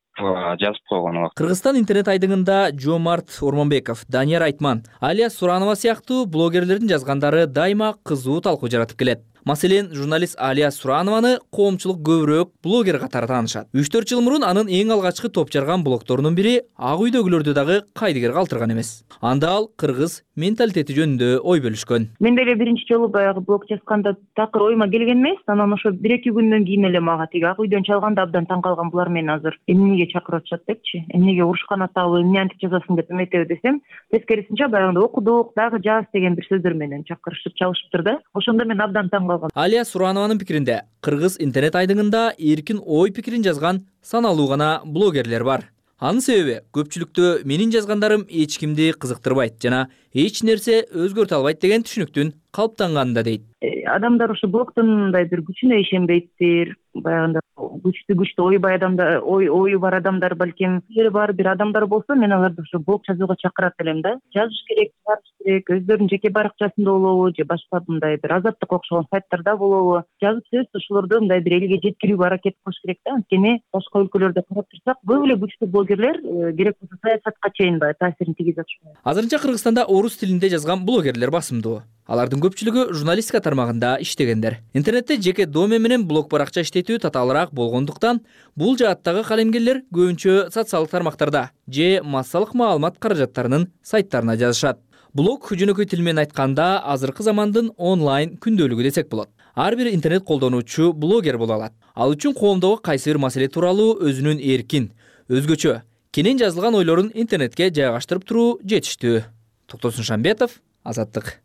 жазып койгон. Кыргызстан интернет айдыңында Жомарт Ормонбеков, Данияр Айтман, Алия Суранова сыяктуу блогерлердин жазгандары дайыма кызуу талкуу жаратып келет. Маселен, журналист Алия Суранованы коомчулук көбүрөөк блогер катары таанышат. 3-4 жыл мурун анын эң алгачкы топ жарган блогторунун бири Ак үйдөгүлөрдү дагы кайдыгер калтырган эмес. Анда ал кыргыз менталитети жөнүндө ой бөлүшкөн. Мен деле биринчи жолу баягы блог жазганда такыр ойума келген эмес. Анан ошо 1-2 күндөн кийин эле мага тиги Ак үйдөн чалганда абдан таң калган, булар мени азыр эмнеге чакырып атышат депчи. Эмнеге урушкан атабы, эмне антип жазасың деп эметеби десем, тескерисинче баягында окудук, дагы жаз деген бир сөздөр менен чакырышып чалышыптыр да. Ошондо мен абдан таң калгам. Алия Суранованын пикиринде, кыргыз интернет айдыңында эркин ой пикирин жазган саналуу гана блогерлер бар. Анын себеби көпчүлүктө менин жазгандарым эч кимди кызыктырбайт жана эч нерсе өзгөртө албайт деген түшүнүктүн калыптанганында дейт. Адамдар ошо блогдун мындай бир күчүнө ишенбейттир. Баягында күчтүү ойбай адамдар, ою бар адамдар, балким жери бар бир адамдар болсо, мен аларды ошо блог жазууга чакырат элем да. Жазыш керек, чыгарыш керек, өздөрүнүн жеке баракчасында болобу, же башка мындай бир азаттык окшогон сайттарда болобу, жазып сөз ошолорду мындай бир элге жеткирүүгө аракет кылыш керек да. Анткени башка өлкөлөрдө карап турсак, көп эле күчтүү блогерлер керек болсо саясатка чейин баягы таасирин тийгизе атышат. Азырынча Кыргызстанда орус тилинде жазган блогерлер басымдуу. Алардын көпчүлүгү журналистика тармагында иштегендер. Интернетте жеке домен менен блог баракча иштетүү татаалыраак болгондуктан, бул жааттагы калемгерлер көбүнчө социалдык тармактарда же массалык маалымат каражаттарынын сайттарына жазышат. Блог жөнөкөй тил менен айтканда азыркы замандын онлайн күндөлүгү десек болот. Ар бир интернет колдонуучу блогер боло алат. Ал үчүн коомдогу кайсы бир маселе тууралуу өзүнүн эркин, өзгөчө, кенен жазылган ойлорун интернетке жайгаштырып туруу жетиштүү. Токтосун Шамбетов, Азаттык.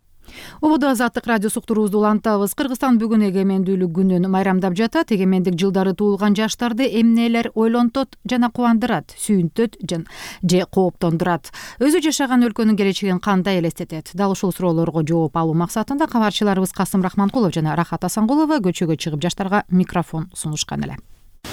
Ободо Азаттык радиосу уктуруубузду улантабыз. Кыргызстан бүгүн эгемендүүлүк күнүн майрамдап жатат. Эгемендик жылдары туулган жаштарды эмнелер ойлонтот жана кубандырат, сүйүнтөт же кооптондурат? Өзү жашаган өлкөнүн келечегин кандай элестетет? Дал ушул суроолорго жооп алуу максатында кабарчыларыбыз Касым Рахманкулов жана Рахат Асангулова көчөгө чыгып жаштарга микрофон сунушкан эле.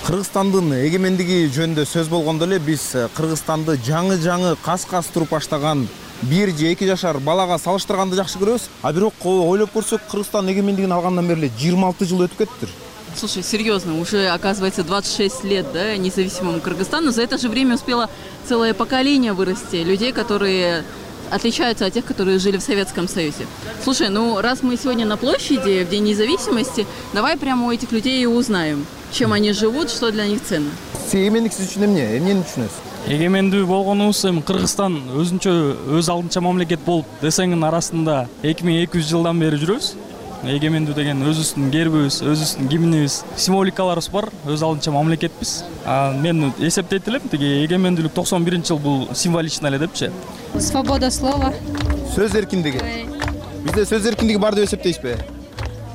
Кыргызстандын эгемендиги жөнүндө сөз болгондо эле биз Кыргызстанды жаңы кас туруп баштаган 1 же 2 жашар балага салыштырганды жакшы көрөбүз. А бирок ойлоп көрсөк, Кыргызстан эгемендигин алгандан бери 26 жыл өтүп кетиптир. Слушай, серьезно, уже оказывается 26 лет, да, независимому Кыргызстану. За это же время успело целое поколение вырасти людей, которые отличаются от тех, которые жили в Советском Союзе. Слушай, ну раз мы сегодня на площади в День независимости, давай прямо у этих людей и узнаем, чем они живут, что для них ценно. Эгемендик сиз үчүн эмнени түшүнөсүз? Эгемендүү болгонубуз эми Кыргызстан өзүнчө өз алдынча мамлекет болуп десеңин арасында 2200 жылдан бери жүрөбүз. Эгемендүү деген өзүбүздүн гербибиз, өзүбүздүн гимнибиз, символикаларыбыз бар, өз алдынча мамлекетпиз. Мен эсептейт элем, тиги эгемендүүлүк 91-жыл бул символично эле депчи. Свобода слова. Сөз эркиндиги. Бизде сөз эркиндиги бар деп эсептейсизби?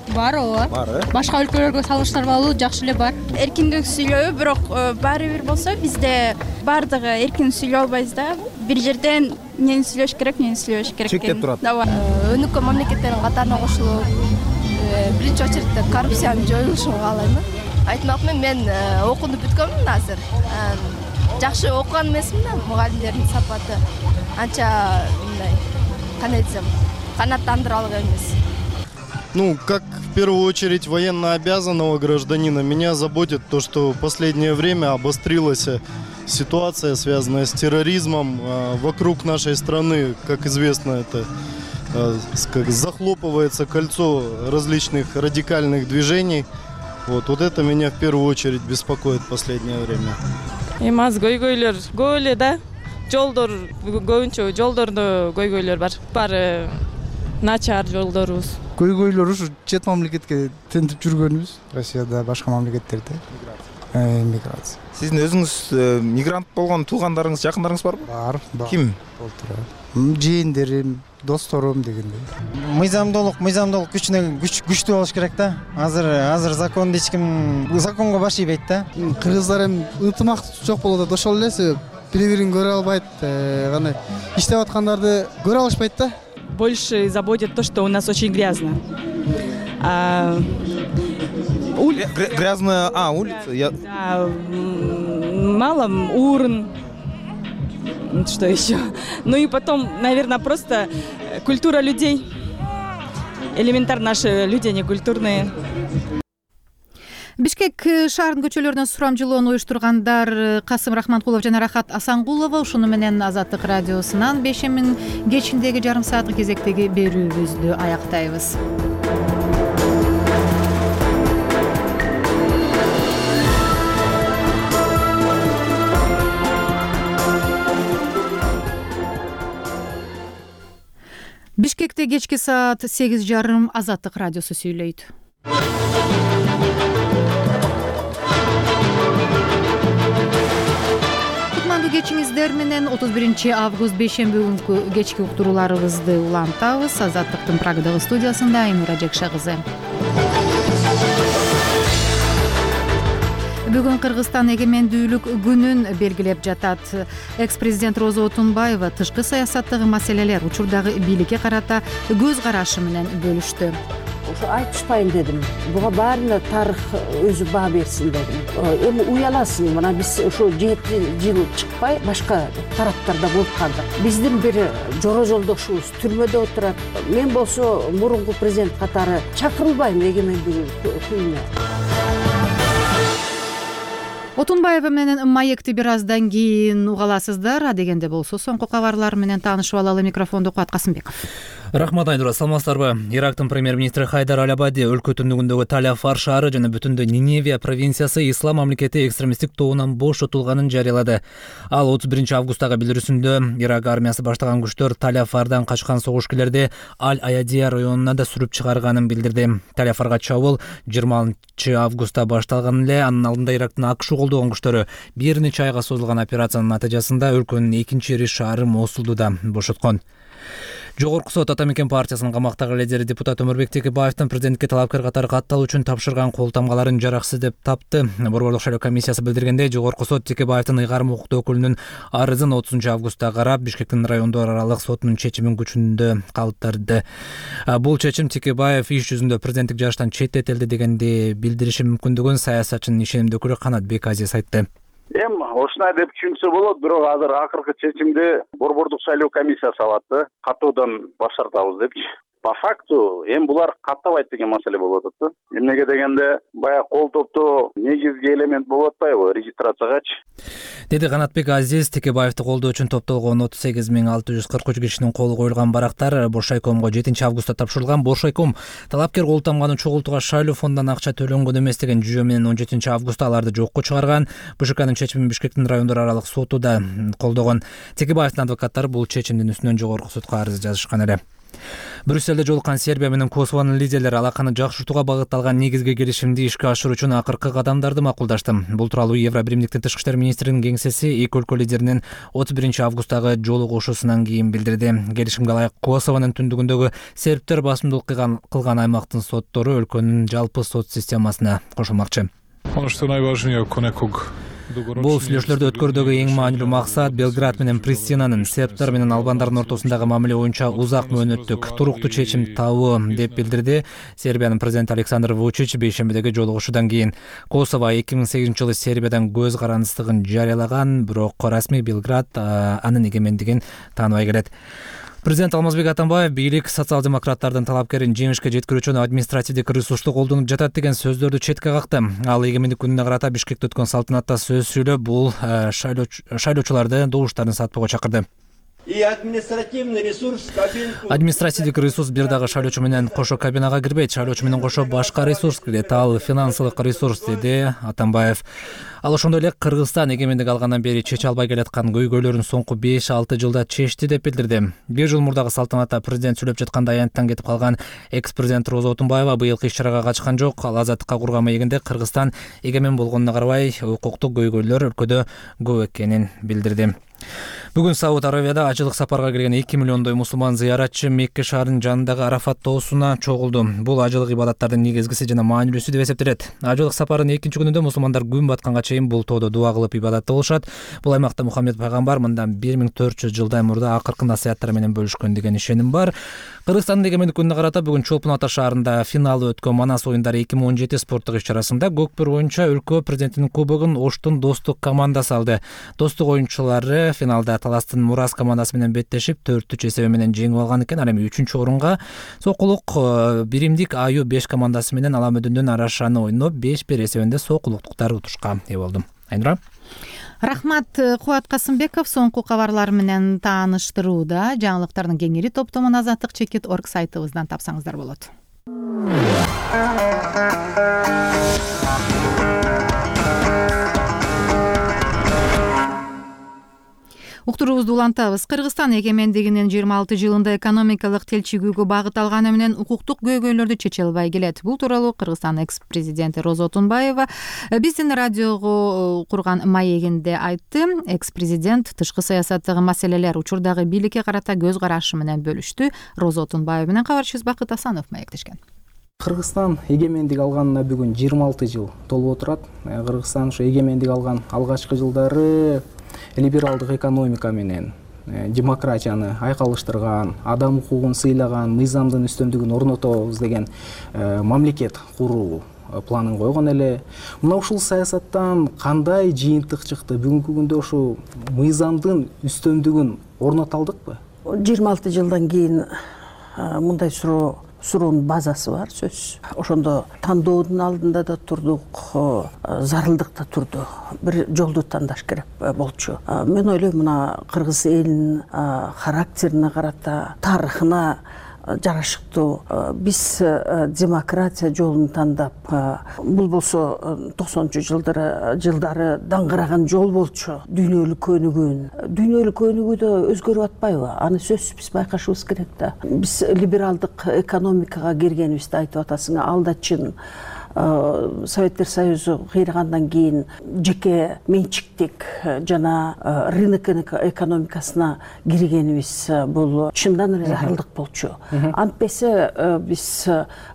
Бар, ооба. Бар, Башка өлкөлөргө салыштырмалуу жакшы эле бар. Эркиндик сүйлөбү, бирок баары бир болсо бизде бардыгы эркин сүйлөй албайбыз да. Бир жерден эмнени сүйлөш керек, эмнени сүйлөбөш керек. Чектеп турат. Өнүккөн мамлекеттердин катарына кошулуп, биринчи очередде коррупциянын жоюлушун каалайм. Айтмакмын, мен окууну бүткөнмүн азыр. Жакшы окуган эмесмин да, мугалимдердин сапаты анча мындай, кандай десем, канааттандырарлык эмес. Ну, как в первую очередь военнообязанного гражданина, меня заботит то, что в последнее время обострилась ситуация, связанная с терроризмом. Вокруг нашей страны, как известно, это захлопывается кольцо различных радикальных движений. Вот это меня в первую очередь беспокоит в последнее время. Эмас көйгөйлөр көп эле да. Жолдор көбүнчө жолдордо көйгөйлөр бар. Баары начар жолдорубуз. Көйгөйлөр ушу чет мамлекетке тентип жүргөнүбүз, Россияда, башка мамлекеттерде. миграция. Сиздин өзүңүз мигрант болгон туугандарыңыз, жакындарыңыз барбы? Бар. Ким? Жээндерим, досторум дегендей. Мыйзамдуулук күчүнө күчтүү болуш керек да. Азыр законду эч ким законго баш ийбейт да. Кыргыздар эми ынтымак жок болууда да, ошол эле себеп. Бири-бирин көрө албайт, кандай иштеп аткандарды көрө алышпайт да. Больше заботит то, что у нас очень грязно. Грязная улица? Да, мало урн. Что еще? Ну и потом, наверное, просто культура людей. Элементарно наши люди, они культурные. Бишкек шаарынын көчөлөрүнөн сурамжылоону уюштургандар Касым Рахманкулов жана Рахат Асангулова. Ушуну менен Азаттык радиосунан бешемин кечиндеги жарым сааттык кезектеги берүүбүздү аяктайбыз. Бишкекте кечки саат 8:30 Азаттык радиосу сүйлөйт. Кутмандуу кечиңиздер менен 31 август бейшемби күнкү кечки уктурууларыбызды улантабыз. Азаттыктын Прагадагы студиясында Айнура Жекше кызы. Бүгүн Кыргызстан эгемендүүлүк күнүн белгилеп жатат. Экс-президент Роза Отунбаева тышкы саясаттагы маселелер, учурдагы бийликке карата көз карашы менен бөлүштү. Ошо айтышпайын дедим. Буга баарына тарых өзү баа берсин дедим. Эми уяласың, мына биз ошо 7 жыл чыкпай башка тараптарда болуп калдык. Биздин бир жора жолдошубуз түрмөдө отурат. Мен болсо мурунку президент катары чакырылбайм эгемендүүлүк күнүнө. Отунбаева менен маекти бир аздан кийин угаласыздар. А дегенде болсо соңку кабарлар менен таанышып алалы. Микрофонду Куат Касымбеков. Рахмат, Айнура, саламатсыздарбы? Ирактын премьер-министри Хайдар Аль-Абади өлкө түндүгүндөгү Таль-Афар шаары жана бүтүндөй Ниневия провинциясы ислам мамлекети экстремисттик тобунан бошотулганын жарыялады. Ал 31 августтагы билдирүүсүндө Ирак армиясы баштаган күчтөр Таль-Афардан качкан согушкерлерди Аль-Аядия районуна да сүрүп чыгарганын билдирди. Таль-Афарга чабуул 20 августта башталган эле. Анын алдында Ирактын АКШ колдогон күчтөрү бир нече айга созулган операциянын натыйжасында өлкөнүн экинчи ири шаары Мосулду да бошоткон. Жогорку сот Ата Мекен партиясынын камактагы лидери депутат Өмүрбек Текебаевдин президентке талапкер катары катталуу үчүн тапшырган кол тамгаларын жараксыз деп тапты. Борборлук шайлоо комиссиясы билдиргендей, Жогорку сот Текебаевдин ыйгарым укуктуу өкүлүнүн арызын 30 августта карап, Бишкектин райондор аралык сотунун чечимин күчүндө калтырды. Бул чечим Текебаев иш жүзүндө президенттик жаштан четтетилди дегенди билдириши мүмкүндүгүн саясатчынын ишенимдүү өкүлү Канатбек Азиз айтты. Ушундай деп түшүнсө болот, бирок азыр акыркы чечимди борбордук шайлоо комиссиясы алат, каттоодан баш тартабыз депчи. По факту булар каттабайт деген маселе болуп атат. Эмнеге дегенде, баягы кол топтоо негизги элемент болуп атпайбы регистрациягачы? Деди Канатбек Азиз. Текебаевди колдоо үчүн топтолгон 38.643 кишинин колу коюлган барактар Боршайкомго 7 августта тапшырылган. Боршайком талапкер кол тамганы чогултууга шайлоо фондунан акча төлөнгөн эмес деген жүйө менен 17 августта аларды жокко чыгарган. БШКнын чечимин Бишкектин райондор аралык соту да колдогон. Текебаевдин адвокаттары бул чечимдин үстүнөн жогорку сотко арыз жазышкан эле. Брюсселде жолуккан Сербия менен Косовонун лидерлери алаканы жакшыртууга багытталган негизги келишимди ишке ашыруу үчүн акыркы кадамдарды макулдашты. Бул тууралуу Евробиримдиктин тышкы иштер министринин кеңсеси эки өлкө лидеринин 31 августтагы жолугушуусунан кийин билдирди. Келишимге ылайык Косовонун түндүгүндөгү сербтер басымдуулук кылган аймактын соттору өлкөнүн жалпы сот системасына кошулмакчы. Бул сүйлөшүүлөрдү өткөрүүдөгү эң маанилүү максат Белград менен Пристинанын сербтер менен албандардын ортосундагы мамиле боюнча узак мөөнөттүк туруктуу чечим табуу деп билдирди Сербиянын президенти Александр Вучич бейшембидеги жолугушуудан кийин. Косово 2008-жылы Сербиядан көз карандыстыгын жарыялаган, бирок расмий Белград анын эгемендигин тааныбай келет. Президент Алмазбек Атамбаев бийлик социал-демократтардын талапкерин жеңишке жеткирүү үчүн административдик ресурсту колдонуп жатат деген сөздөрдү четке какты. Ал эгемендик күнүнө карата Бишкекте өткөн салтанатта сөз сүйлөп, бул шайлоочуларды добуштарын сатпоого чакырды. и административный ресурс кабинку. Административдик ресурс бир дагы шайлоочу менен кошо кабинага кирбейт, шайлоочу менен кошо башка ресурс кирет, ал финансылык ресурс, деди Атамбаев. Ал ошондой эле Кыргызстан эгемендик алгандан бери чече албай келаткан көйгөйлөрүн соңку 5-6 жылда чечти деп билдирди. 1 жыл мурдагы салтанатта президент сүйлөп жатканда аянттан кетип калган экс-президент Роза Отунбаева быйылкы иш-чарага катышкан жок. Ал азаттыкка курган маегинде Кыргызстан эгемен болгонуна карабай укуктук көйгөйлөр өлкөдө көп экенин билдирди. Бүгүн Сауд Арабияда ажылык сапарга келген 2 миллиондой мусулман зыяратчы Мекке шаарынын жанындагы Арафат тоосуна чогулду. Бул ажылык ибадаттардын негизгиси жана маанилүүсү деп эсептелет. Ажылык сапарынын 2-чи күнүндө мусулмандар күн батканга чейин бул тоодо дуа кылып ибадатта болушат. Бул аймакта Мухаммед пайгамбар мындан 1400 жылдай мурда акыркы насааттары менен бөлүшкөн деген ишеним бар. Кыргызстандын эгемендик күнүнө карата бүгүн Чолпон Ата шаарында финалы өткөн Манас оюндары 2017 спорттук иш-чарасында көкпөр боюнча өлкө президентинин кубогун Оштун Достук командасы алды. Достук оюнчулары финалда Таластын Мурас командасы менен беттешип 4-3 эсеби менен жеңип алган экен. Ал эми 3-чү орунга Сокулук Биримдик Аю 5 командасы менен Аламөдүндөн Арашаны ойноп 5-1 эсебинде сокулуктуктар утушка ээ болду. Айнура. Рахмат. Кубат Касымбеков соңку кабарлар менен тааныштырууда. Жаңылыктардын кеңири топтомун Азаттык Чекит.org сайтыбыздан тапсаңыздар болот. Уктуруубузду улантабыз. Кыргызстан эгемендигинин 26 жылында экономикалык телчигүүгө багыт алганы менен укуктук көйгөйлөрдү чече албай келет. Бул тууралуу Кыргызстан экс-президенти Роза Отунбаева биздин радиого курган маегинде айтты. Экс-президент тышкы саясаттагы маселелер учурдагы бийликке карата көз карашы менен бөлүштү. Роза Отунбаева менен кабарчыбыз Бакыт Асанов маектешкен. Кыргызстан эгемендик алганына бүгүн 26 жыл толуп отурат. Кыргызстан ошо эгемендик алган алгачкы жылдары либералдык экономика менен демократияны айкалыштырган, адам укугун сыйлаган, мыйзамдын үстөмдүгүн орнотобуз деген мамлекет куруу планын койгон эле. Мына ушул саясаттан кандай жыйынтык чыкты? Бүгүнкү күндө ошо мыйзамдын үстөмдүгүн орното алдыкпы? 26 жылдан кийин мындай суроонун базасы бар сөз. Ошондо тандоодун алдында да турдук, зарылдыкта турду. Бир жолду тандаш керек болчу. Мен ойлойм, мына кыргыз элинин характерине карата, тарыхына жарашыктуу биз демократия жолун тандап, бул болсо 90-жылдары даңгыраган жол болчу. Дүйнөлүк көнүгүүдө өзгөрүп атпайбы? Аны сөзсүз биз байкашыбыз керек да. Биз либералдык экономикага киргенибизди айтып атасың, ал да чын. Советтер Союзу кыйрагандан кийин жеке менчиктик жана рынок экономикасына киргенибиз бул чындан эле зарылдык болчу. Антпесе биз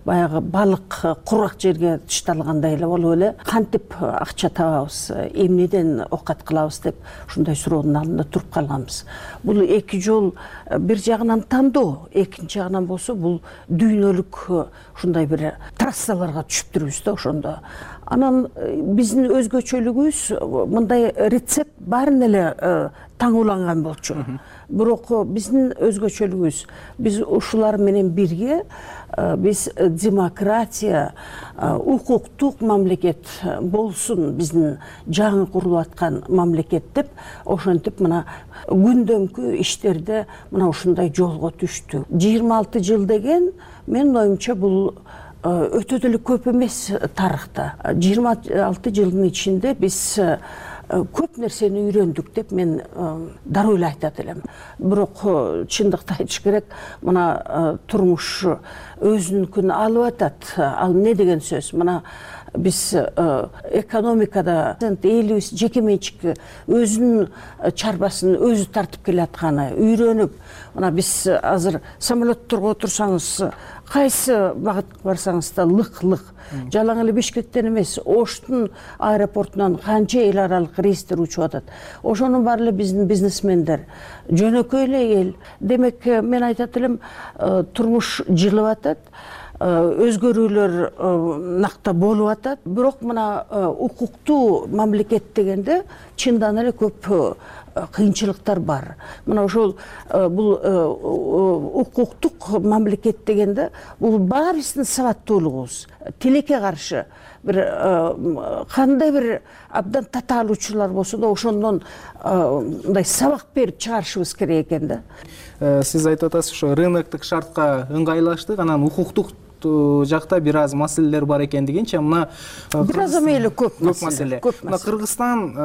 баягы балык курак жерге тышталгандай эле болуп эле кантип акча табабыз, эмнеден оокат кылабыз деп ушундай суроонун алдында туруп калганбыз. Бул эки жол, бир жагынан тандоо, экинчи жагынан болсо бул дүйнөлүк ушундай бир трассаларга түшүп жүрүбүз да ошондо. Анан биздин өзгөчөлүгүбүз мындай рецепт баарын эле таңууланган болчу. Бирок биздин өзгөчөлүгүбүз, биз ушулар менен бирге биз демократия, укуктук мамлекет болсун, биздин жаңы курулуп аткан мамлекет деп ошентип мына күндөмкү иштерде мына ушундай жолго түштү. 26 жыл деген менин оюмча бул өтө деле көп эмес тарыхта. 26 жылдын ичинде биз көп нерсени үйрөндүк деп мен дароо эле айтат элем. Бирок чындыкты айтыш керек, мына турмуш өзүнүкүн алып атат. Ал эмне деген сөз? Мына биз экономикада элибиз жеке менчик өзүнүн чарбасын өзү тартып келатканы үйрөнүп, мына биз азыр самолетторго отурсаңыз, кайсы багытка барсаңыз да лык-лык. Жалаң эле Бишкектен эмес, Оштун аэропортунан канча эл аралык рейстер учуп атат. Ошонун баары эле биздин бизнесмендер, жөнөкөй эле эл. Демек, мен айтат элем, турмуш жылып атат, өзгөрүүлөр накта болуп атат. Бирок мына укуктуу мамлекет дегенде чындан эле көп кыйынчылыктар бар. Мына ошол бул укуктук мамлекет дегенде бул баарыбыздын сабаттуулугубуз тилекке каршы бир кандай бир абдан татаалуучулар болсо да ошондон мындай сабак берип чыгарышыбыз керек экен да. Сиз айтып атасыз ошо рыноктук шартка ыңгайлаштык, анан укуктук жакта бир аз маселелер бар экендигинчи, мына бир аз эмеле көп маселе. Мына Кыргызстан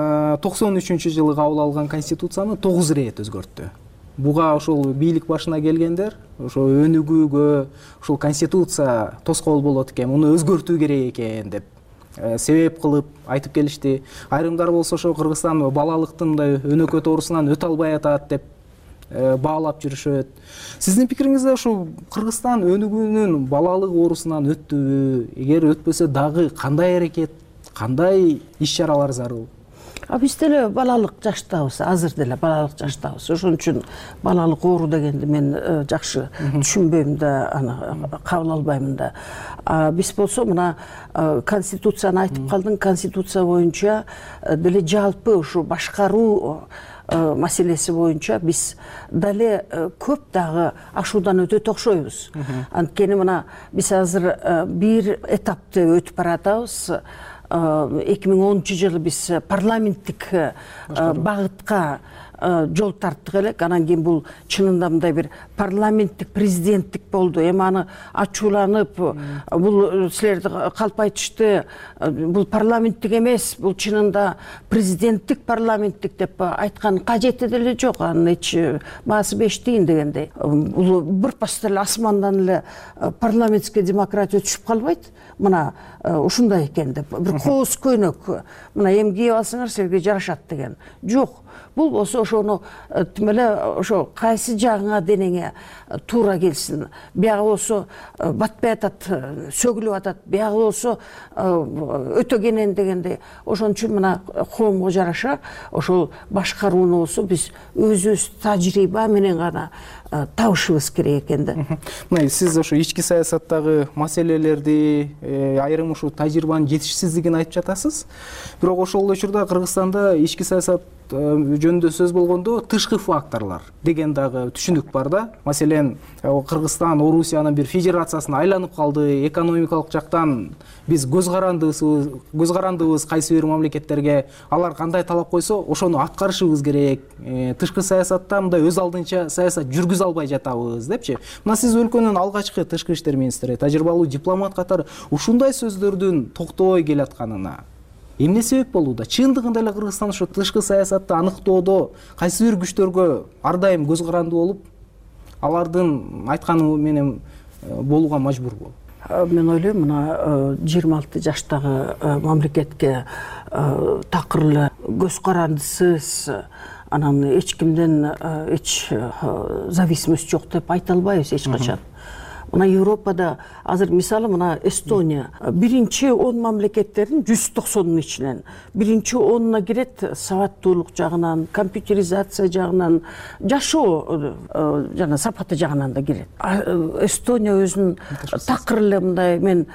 93-жылы кабыл алган конституцияны 9 ирет өзгөрттү. Буга ошол бийлик башына келгендер ошо өнүгүүгө ошол конституция тоскоол болот экен, муну өзгөртүү керек экен деп себеп кылып айтып келишти. Айрымдар болсо ошо Кыргызстан балалыктын мындай өнөкөт оорусунан өтө албай атат деп баалап жүрүшөт. Сиздин пикириңизде ошо Кыргызстан өнүгүүнүн балалык оорусунан өттүбү? Эгер өтпөсө дагы кандай аракет, кандай иш-чаралар зарыл? Биз деле балалык жаштабыз, азыр деле балалык жаштабыз. Ошон үчүн балалык оору дегенди мен жакшы түшүнбөйм да, аны кабыл албаймын да. Биз болсо мына конституцияны айтып калдың, конституция боюнча деле жалпы ушу башкаруу маселеси боюнча биз дале көп дагы ашуудан өтөт окшойбуз. Анткени мына биз азыр бир этапты өтүп баратабыз. 2010-жылы биз парламенттик багытка жол тарттык элек. Анан кийин бул чынында мындай бир парламенттик президенттик болду. Эми аны ачууланып, бул силерди калп айтышты, бул парламенттик эмес, бул чынында президенттик парламенттик деп айткан кажети деле жок. Анын эч баасы бештейин дегендей. Бул бырпас деле асмандан эле парламентский демократия түшүп калбайт. Мына ушундай экен деп, бир кооз көйнөк, мына эми кийип алсаңар силерге жарашат деген. Жок. Бул болсо ошону тим эле ошо кайсы жагыңа денеңе туура келсин. Биягы болсо батпай атат, сөгүлүп атат, биягы болсо өтө кенен дегендей. Ошон үчүн мына коомго жараша ошол башкарууну болсо биз өзүбүз тажрыйба менен гана табышыбыз керек экен да. Мына сиз ошо ички саясаттагы маселелерди, айрым ушул тажрыйбанын жетишсиздигин айтып жатасыз. Бирок ошол учурда Кыргызстанда ички саясат жөнүндө сөз болгондо тышкы факторлор деген дагы түшүнүк бар да. Маселен, Кыргызстан Орусиянын бир федерациясына айланып калды, экономикалык жактан биз көз карандыбыз кайсы бир мамлекеттерге, алар кандай талап койсо ошону аткарышыбыз керек. Тышкы саясатта мындай өз алдынча саясат жүргүзө албай жатабыз депчи. Мына сиз өлкөнүн алгачкы тышкы иштер министри, тажрыйбалуу дипломат катары ушундай сөздөрдүн токтобой келатканына эмне себеп болууда? Чындыгында эле Кыргызстан ошо тышкы саясатты аныктоодо кайсы бир күчтөргө ар дайым көз карандуу болуп, алардын айтканы менен болууга мажбурбу? Мен ойлойм, мына 26 жаштагы мамлекетке такыр эле көз карандысыз, анан эч кимден эч зависимость жок деп айта албайбыз эч качан. Мына Европада азыр мисалы мына Эстония биринчи 10 мамлекеттердин 190-нун ичинен биринчи 10-на кирет сабаттуулук жагынан, компьютеризация жагынан, жашоо жана сапаты жагынан да кирет. Эстония өзүнүн такыр эле мындай мен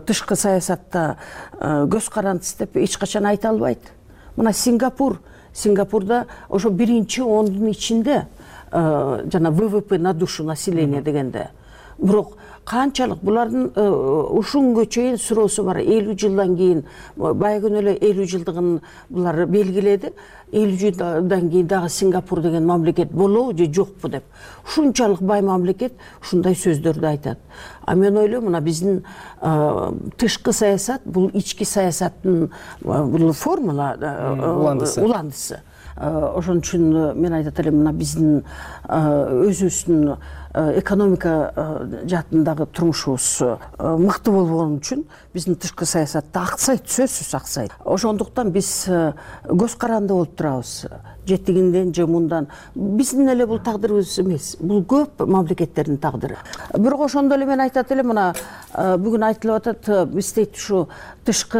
тышкы саясатта көз карандысыз деп эч качан айта албайт. Мына Сингапурда ошо биринчи 10-дун ичинде жана ВВП на душу населения дегенде. Бирок канчалык булардын ушунга чейин суроосу бар. 50 жылдан кийин байгөн эле 50 жылдыгын булар белгиледи. 50 жылдан кийин дагы Сингапур деген мамлекет болобу же жокпу деп. Ушунчалык бай мамлекет ушундай сөздөрдү айтат. А мен ойлойм, мына биздин тышкы саясат бул ички саясаттын бул формула уландысы. Ошон үчүн мен айтат элем, мына биздин өзүбүздүн экономика жаатындагы турмушубуз мыкты болгон үчүн биздин тышкы саясатта аксайт, сөзсүз аксайт. Ошондуктан биз көз каранды болуп турабыз. Жетигинден же мындан. Биздин эле бул тагдырыбыз эмес. Бул көп мамлекеттердин тагдыры. Бирок ошондо эле мен айтат элем, мына бүгүн айтылып атат, биз дейт ушу тышкы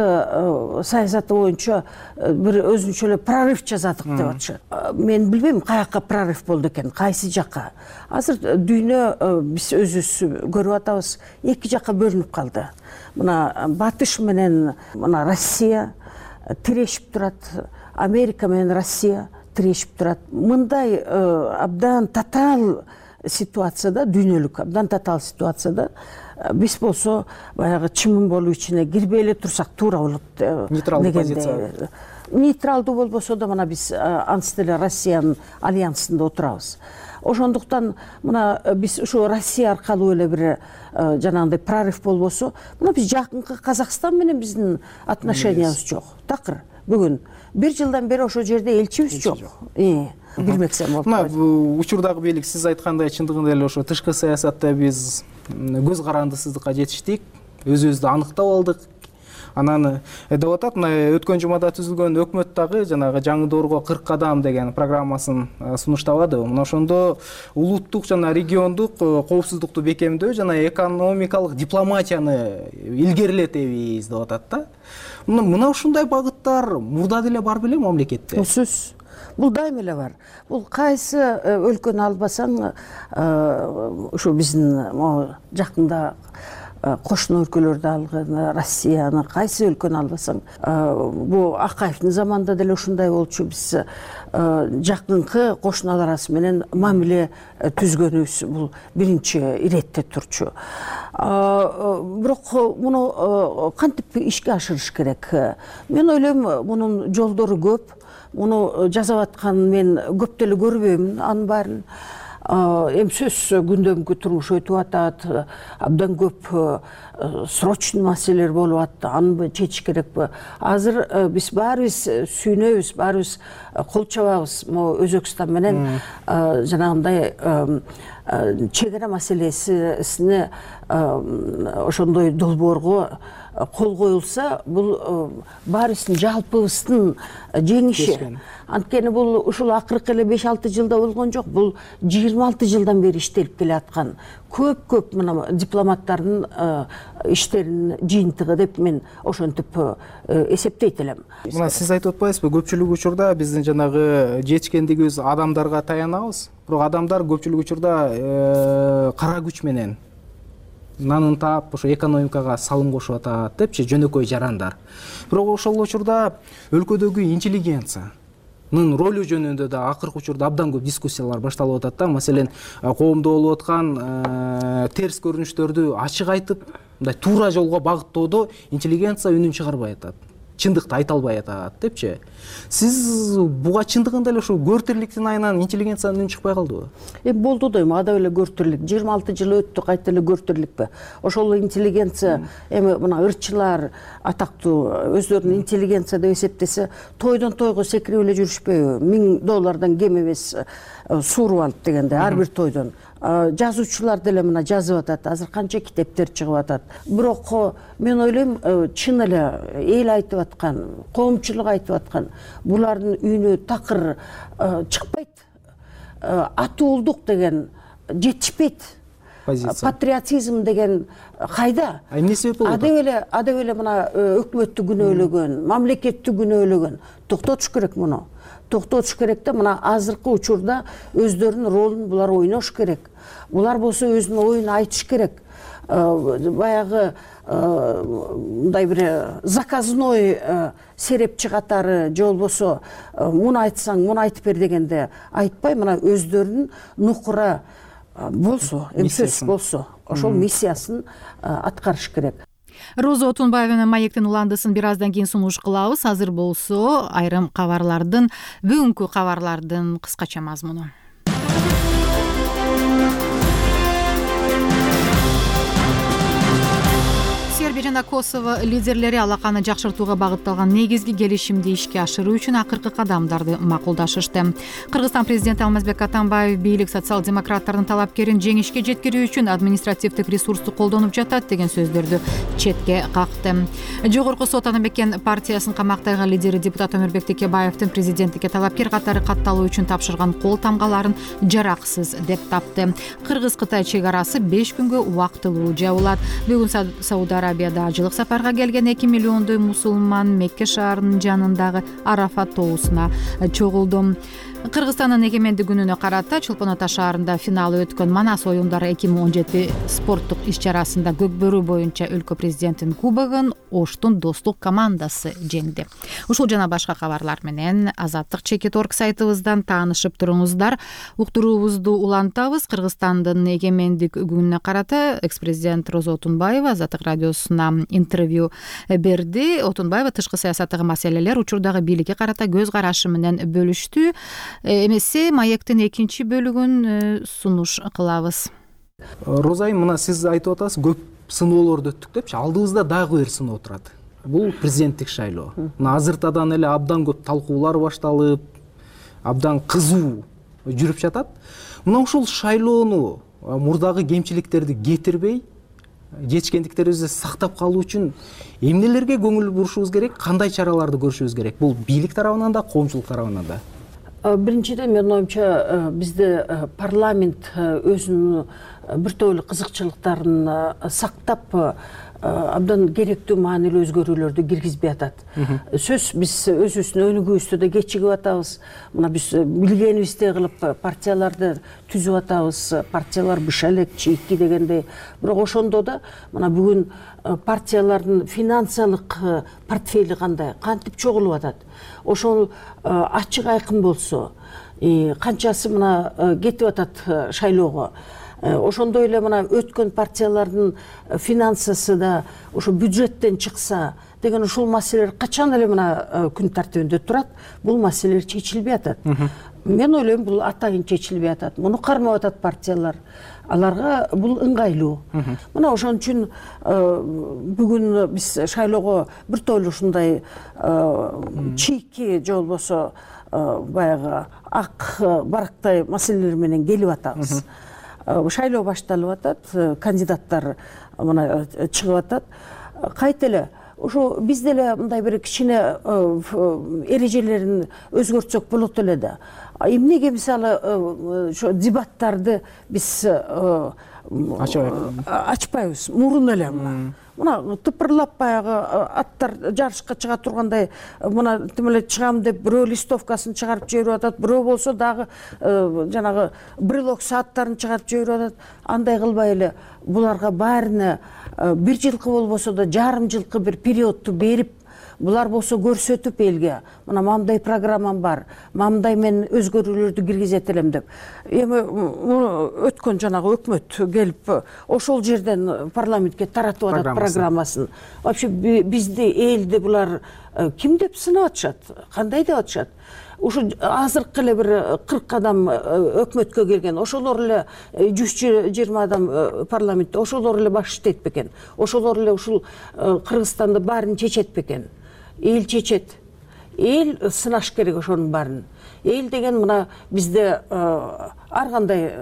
саясаты боюнча бир өзүнчө эле прорыв жасадык деп атышат. Мен билбейм каяка прорыв болду экен, кайсы жакка. Азыр дүйнө биз өзүбүз көрүп атабыз, эки жакка бөлүнүп калды. Мына батыш менен мына Россия тирешип турат, Америка менен Россия тирешип турат. Мындай абдан татаал ситуацияда, дүйнөлүк абдан татаал ситуацияда биз болсо баягы чымын болуп ичине кирбей эле турсак туура болот. Нейтралдуу позиция. Нейтралдуу болбосо да мына биз ансыз деле Россиянын альянсында отурабыз. Ошондуктан мына биз ушу Россия аркылуу эле бир жанагындай прорыв болбосо, мына биз жакынкы Казакстан менен биздин отношениябыз жок. Такыр бүгүн 1 жылдан бери ошол жерде элчибиз жок. Билмексем болуп. Мына учурдагы бийлик сиз айткандай чындыгында эле ошо тышкы саясатта биз көз карандысыздыкка жетиштик, өзүбүздү аныктап алдык. Анан деп атат, мына өткөн жумада түзүлгөн өкмөт дагы жанагы жаңы доорго 40 кадам деген программасын сунуштабады. Мына ошондо улуттук жана региондук коопсуздукту бекемдөө жана экономикалык дипломатияны илгерилетебиз деп атат да. Мына ушундай багыттар мурда деле бар беле мамлекетте? Сөзсүз. Бул дайыма эле бар. Бул кайсы өлкөнү албасаң, ушу биздин жакында кошуна өлкөлөрдү алган, Россияны кайсы өлкөнү албасаң, бул Акаевдин заманында деле ушундай болчу. Биз жакынкы кошуналар арасы менен мамиле түзгөнүбүз бул биринчи иретте турчу. Бирок муну кантип ишке ашырыш керек? Мен ойлойм, мунун жолдору көп. Муну жасап атканын мен көп деле көрбөйм анын баарын. Эми сөзсүз күндөмкү турмуш өтүп атат, абдан көп срочный маселелер болуп атты, аны чечиш керекпи? Азыр биз баарыбыз сүйүнөбүз, баарыбыз кол чабабыз могу Өзбекстан менен жанагындай чегара маселесине ошондой долбоорго кол коюлса, бул баарыбыздын жалпыбыздын жеңиши. Анткени бул ушул акыркы эле 5-6 жылда болгон жок, бул 26 жылдан бери иштелип келе аткан көп мына дипломаттардын иштеринин жыйынтыгы деп мен ошентип эсептейт элем. Мына сиз айтып атпайсызбы, көпчүлүк учурда биздин жанагы жетишкендигибиз адамдарга таянабыз, бирок адамдар көпчүлүк учурда кара күч менен нанын таап, ошо экономикага салым кошуп атат депчи, жөнөкөй жарандар. Бирок ошол учурда өлкөдөгү интеллигенциянын ролу жөнүндө да акыркы учурда абдан көп дискуссиялар башталып атат да. Маселен, коомдо болуп аткан терс көрүнүштөрдү ачык айтып, мындай туура жолго багыттоодо интеллигенция үнүн чыгарбай атат, чындыкты айта албай атат депчи. Сиз буга чындыгында эле ошо көртүрлүктүн айынан интеллигенциянын үнү чыкпай калдыбы? Болду дейм, ада эле көртүрлүк. 26 жыл өттү, кайта эле көртүрлүкпү? Ошол интеллигенция, эми мына ырчылар атактуу өздөрүнүн интеллигенция деп эсептесе, тойдон тойго секирип эле жүрүшпөйбү? $1000 кем эмес сууруп алып дегенде, ар бир тойдон. Жазуучулар деле мына жазып атат, азыр канча китептер чыгып атат. Бирок мен ойлойм, чын эле эл айтып аткан, коомчулук айтып аткан, булардын үнү такыр чыкпайт. Атуулдук деген жетишпейт. Патриотизм деген кайда? Эмне себеп болот? Адеп эле мына өкмөттү күнөөлөгөн, мамлекетти күнөөлөгөн. Токтотуш керек муну. Токтотуш керек да, мына азыркы учурда өздөрүнүн ролун булар ойнош керек. Булар болсо өзүнүн оюн айтыш керек. Баягы мындай бир заказной серепчи катары, же болбосо муну айтсаң, муну айтып бер дегенде айтпай, мына өздөрүнүн нукура болсо, сөз болсо, ошол миссиясын аткарыш керек. Роза Отунбаеванын маектин уландысын бир аздан кийин сунуш кылабыз. Азыр болсо айрым кабарлардын, бүгүнкү кабарлардын кыскача мазмуну. Сербия жана Косово лидерлери алаканы жакшыртууга багытталган негизги келишимди ишке ашыруу үчүн акыркы кадамдарды макулдашышты. Кыргызстан президенти Алмазбек Атамбаев бийлик социал-демократтардын талапкерин жеңишке жеткирүү үчүн административдик ресурсту колдонуп жатат деген сөздөрдү четке какты. Жогорку сот Атамекен партиясынын камактагы лидери депутат Өмүрбек Текебаевдин президенттикке талапкер катары катталуу үчүн тапшырган кол тамгаларын жараксыз деп тапты. Кыргыз-Кытай чек арасы 5 күнгө убактылуу жабылат. Бүгүн Сауд Арабияда ажылык сапарга келген 2 миллиондой мусулман Мекке шаарынын жанындагы Арафат тоосуна чогулду. Кыргызстандын эгемендик күнүнө карата Чолпон Ата шаарында финалы өткөн Манас оюндары 2017 спорттук иш-чарасында Көкбөрү боюнча өлкө президентинин кубогун Оштун достук командасы жеңди. Ушул жана башка кабарлар менен Азаттык Чекит.org сайтыбыздан таанышып туруңуздар. Уктуруубузду улантабыз. Кыргызстандын эгемендик күнүнө карата экс-президент Роза Отунбаева Азаттык радиосуна интервью берди. Отунбаева тышкы саясаттагы маселелер, учурдагы бийликке карата көз карашы менен бөлүштү. Эмесе маектин экинчи бөлүгүн сунуш кылабыз. Роза айым, мына сиз айтып атасыз, көп сыноолорду өттүк депчи, алдыбызда дагы бир сыноо турат. Бул президенттик шайлоо. Мына азыртадан эле абдан көп талкуулар башталып, абдан кызуу жүрүп жатат. Мына ушул шайлоону мурдагы кемчиликтерди кетирбей, жетишкендиктерибизди сактап калуу үчүн эмнелерге көңүл бурушубуз керек, кандай чараларды көрүшүбүз керек? Бул бийлик тарабынан да, коомчулук тарабынан да. Биринчиден, менин оюмча, бизде парламент өзүнүн бир топ эле кызыкчылыктарын сактап, абдан керектүү маанилүү өзгөрүүлөрдү киргизбей атат. Сөз биз өзүбүздүн өнүгүүбүздү да кечигип атабыз. Мына биз билгенибиздей кылып партияларды түзүп атабыз. Партиялар быша элек, чийки дегендей. Бирок ошондо да мына бүгүн партиялардын финансылык портфели кандай, кантип чогулуп атат. Ошол ачык айкын болсо, канчасы мына кетип атат шайлоого. Ошондой эле мына өткөн партиялардын финансысы да ошо бюджеттен чыкса деген ушул маселелер качан эле мына күн тартибинде турат. Бул маселелер чечилбей атат. Мен ойлойм, бул атайын чечилбей атат. Муну кармап атат партиялар. Аларга бул ыңгайлуу. Мына ошон үчүн бүгүн биз шайлоого бир топ эле ушундай чийки же болбосо баягы ак барактай маселелер менен келип атабыз. Шайлоо башталып атат, кандидаттар мына чыгып атат. Кайт эле ошо биз деле мындай бир кичине эрежелерин өзгөртсөк болот эле да. Эмнеге мисалы ошо дебаттарды биз ачпайбыз? Мурун эле мына тыпырлап баягы аттар жарышка чыга тургандай, мына тим эле чыгам деп бирөө листовкасын чыгарып жиберип атат, бирөө болсо дагы жанагы брелок сааттарын чыгарып жиберип атат. Андай кылбай эле буларга баарына бир жылкы болбосо да жарым жылкы бир периодду берип, булар болсо көрсөтүп элге, мына мындай программам бар, мындай мен өзгөрүүлөрдү киргизет элем деп. Эми өткөн жанагы өкмөт келип ошол жерден парламентке таратып атат программасын. Вообще бизди, элди булар ким деп сынап атышат, кандай деп атышат? Ушу азыркы эле бир 40 адам өкмөткө келген, ошолор эле 120 адам парламентте, ошолор эле баш иштейт бекен, ошолор эле ушул Кыргызстанды баарын чечет бекен. Эл чечет. Эл сынаш керек ошонун баарын. Эл деген мына бизде ар кандай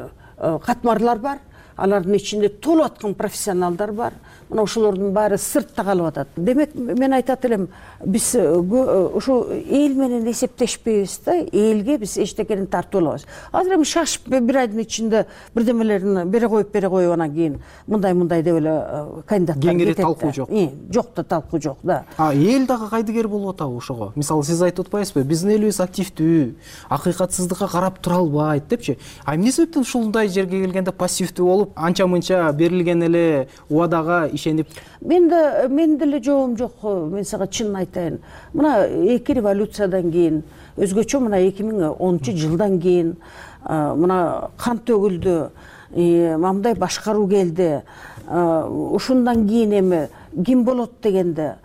катмарлар бар, алардын ичинде толуп аткан профессионалдар бар. Мына ошолордун баары сыртта калып атат. Демек, мен айтат элем, биз ошо эл менен эсептешпейбиз да, элге биз эчтекени тартып алабыз. Азыр эми шашып бир айдын ичинде бирдемелерин бере коюп анан кийин мындай деп эле кандидаттар кетет. Кеңири талкуу жок. Жок да, талкуу жок да. Эл дагы кайдыгер болуп атабы ошого? Мисалы, сиз айтып атпайсызбы? Биздин элибиз активдүү, акыйкатсыздыкка карап тура албайт депчи. Эмне себептен ушундай жерге келгенде пассивдүү болуп, анча-мынча берилген эле убадага ишенип? Мен деле жообум жок. Мен сага чынын айтайын. Мына эки революциядан кийин, өзгөчө мына 2010-жылдан кийин мына кан төгүлдү, мындай башкаруу келди. Ушундан кийин эми ким болот дегенде,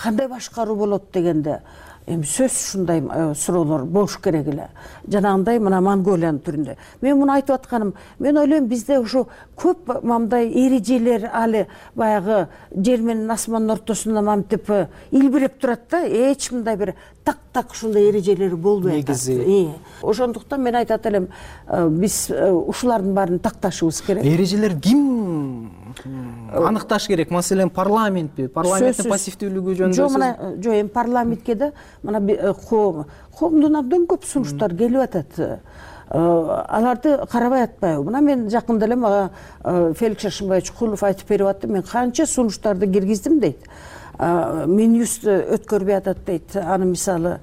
кандай башкаруу болот дегенде, эми сөз ушундай суроолор болуш керек эле. Жанагындай мына Монголиянын түрүндө. Мен муну айтып атканым, мен ойлойм, бизде ушу көп мындай эрежелер али баягы жер менен асмандын ортосунда мамтип илбиреп турат да, эч мындай бир так ушундай эрежелери болбой атат. Ошондуктан мен айтат элем, биз ушулардын баарын такташыбыз керек. Эрежелер ким аныкташ керек? Маселен, парламентпи? Парламенттин пассивдүүлүгү жөнүндө? Жок, эми парламентке да мына коомдун абдан көп сунуштар келип атат. Аларды карабай атпайбы? Мына мен жакында эле мага Феликс Шашынбаевич Кулов айтып берип атты, мен канча сунуштарды киргиздим дейт. Минюс өткөрбөй атат дейт. Аны мисалы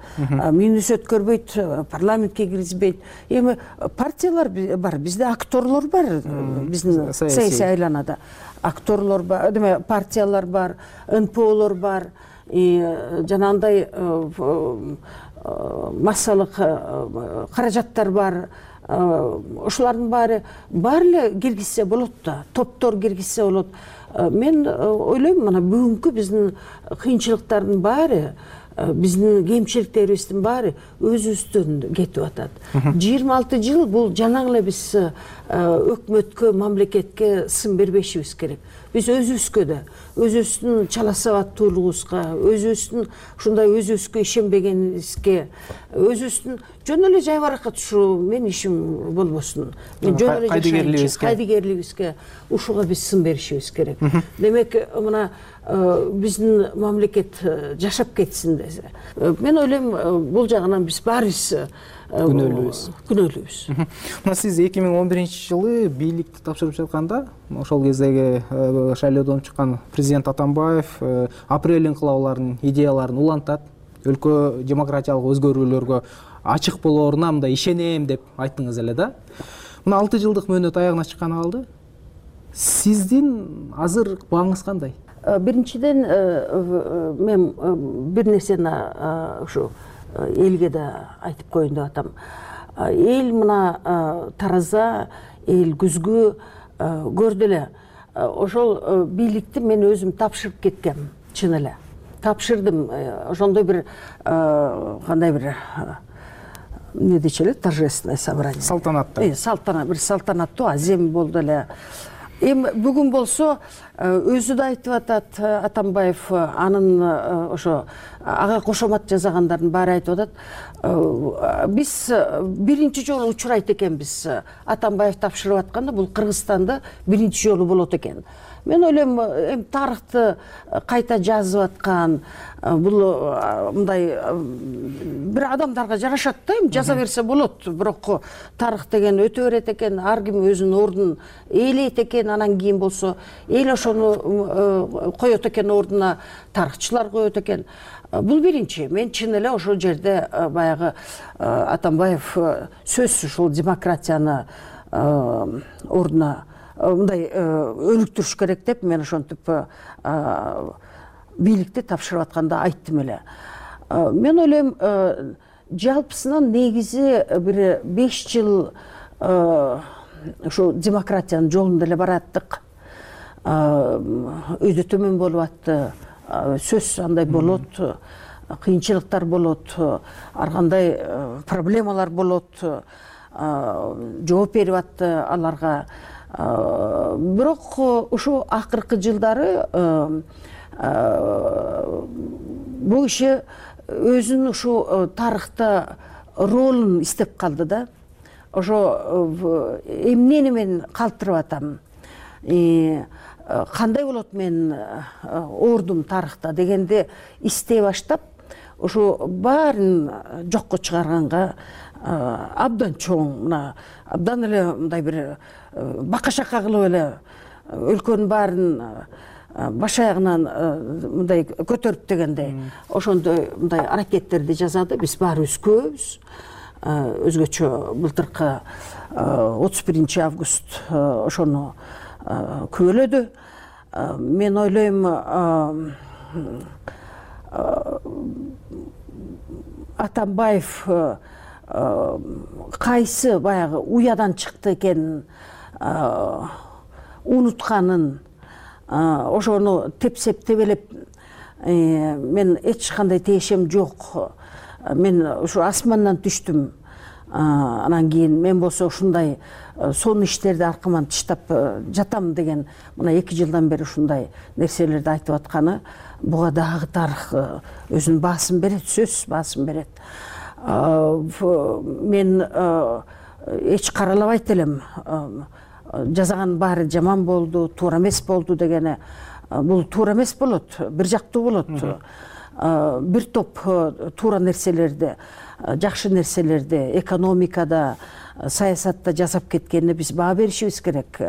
Минюс өткөрбөйт, парламентке киргизбейт. Эми партиялар бар, бизде акторлор бар, биздин саясий айланада. Акторлор бар, деме партиялар бар, НПОлор бар, жанагындай массалык каражаттар бар. Ошолардын баары эле киргизсе болот да, топтор киргизсе болот. Мен ойлойм, мына бүгүнкү биздин кыйынчылыктардын баары, биздин кемчиликтерибиздин баары өзүбүздөн кетип атат. 26 жыл бул жана эле биз өкмөткө, мамлекетке сын бербешибиз керек. Биз өзүбүзгө да, өзүбүздүн чала сабаттуулугубузга, өзүбүздүн ушундай өзүбүзгө ишенбегенибизге, өзүбүздүн жөн эле жайбаракат ушу мен ишим болбосун, мен жөн эле жашайынчы, кайдыгерлигибизге ушуга биз сын беришибиз керек. Демек, мына биздин мамлекет жашап кетсин десе. Мен ойлойм, бул жагынан биз баарыбыз күнөөлүүбүз. Мына сиз 2011-жылы бийликти тапшырып жатканда, ошол кездеги шайлоодон чыккан президент Атамбаев апрель инкылабыларынын идеяларын улантат, өлкө демократиялык өзгөрүүлөргө ачык болоруна мындай ишенем деп айттыңыз эле да. Мына 6 жылдык мөөнөт аягына чыкканы калды. Сиздин азыр бааңыз кандай? Биринчиден, мен бир нерсени ушу элге да айтып коеюн деп атам. Эл мына тараза, эл күзгү көрдү эле. Ошол бийликти мен өзүм тапшырып кеткем, чын эле. Тапшырдым. Ошондой бир кандай бир эмне дечи эле, торжественное собрание. Салтанаттуу. Салтанаттуу азем болду эле. Эми бүгүн болсо өзү да айтып атат Атамбаев, анын ошо ага кошомат жасагандардын баары айтып атат. Биз биринчи жолу учурайт экенбиз. Атамбаев тапшырып атканда бул Кыргызстанда биринчи жолу болот экен. Мен ойлойм, эми тарыхты кайта жазып аткан, бул мындай бир адамдарга жарашат да, эми жаза берсе болот. Бирок тарых деген өтө берет экен, ар ким өзүнүн ордун ээлейт экен, анан кийин болсо эл ошону коет экен ордуна, тарыхчылар коет экен. Бул биринчи. Мен чын эле ошол жерде баягы Атамбаев сөзсүз ушул демократияны ордуна мындай өнүктүрүш керек деп мен ошентип бийликти тапшырып атканда айттым эле. Мен ойлойм, жалпысынан негизи бир 5 жыл ошо демократиянын жолунда эле бараттык. Өйдө төмөн болуп атты, сөз андай болот, кыйынчылыктар болот, ар кандай проблемалар болот, жооп берип атты аларга. Бирок ушу акыркы жылдары бул киши өзүнүн ушу тарыхта ролун издеп калды да. Ошо эмнени мен калтырып атам, кандай болот мен ордум тарыхта дегенди издей баштап, ошо баарын жокко чыгарганга абдан чоң, мына абдан эле мындай бир бака-шака кылып эле өлкөнүн баарын баш аягынан мындай көтөрүп дегендей, ошондой мындай аракеттерди жасады. Биз баарыбыз күбөбүз. Өзгөчө былтыркы 31 август ошону күбөлөдү. Мен ойлойм, Атамбаев кайсы баягы уядан чыкты экен унутканын, ошону тепсеп тебелеп, мен эч кандай тиешем жок, мен ушу асмандан түштүм, анан кийин мен болсо ушундай сонун иштерди аркаман тыштап жатам деген мына 2 жылдан бери ушундай нерселерди айтып атканы буга дагы тарых өзүнүн баасын берет, сөзсүз баасын берет. Мен эч каралабайт элем, жазаган баары жаман болду, туура эмес болду дегени. Бул туура эмес болот, бир жактуу болот. бир топ туура нерселерди, жакшы нерселерди экономикада, саясатта жасап кеткенине биз баа беришибиз керек.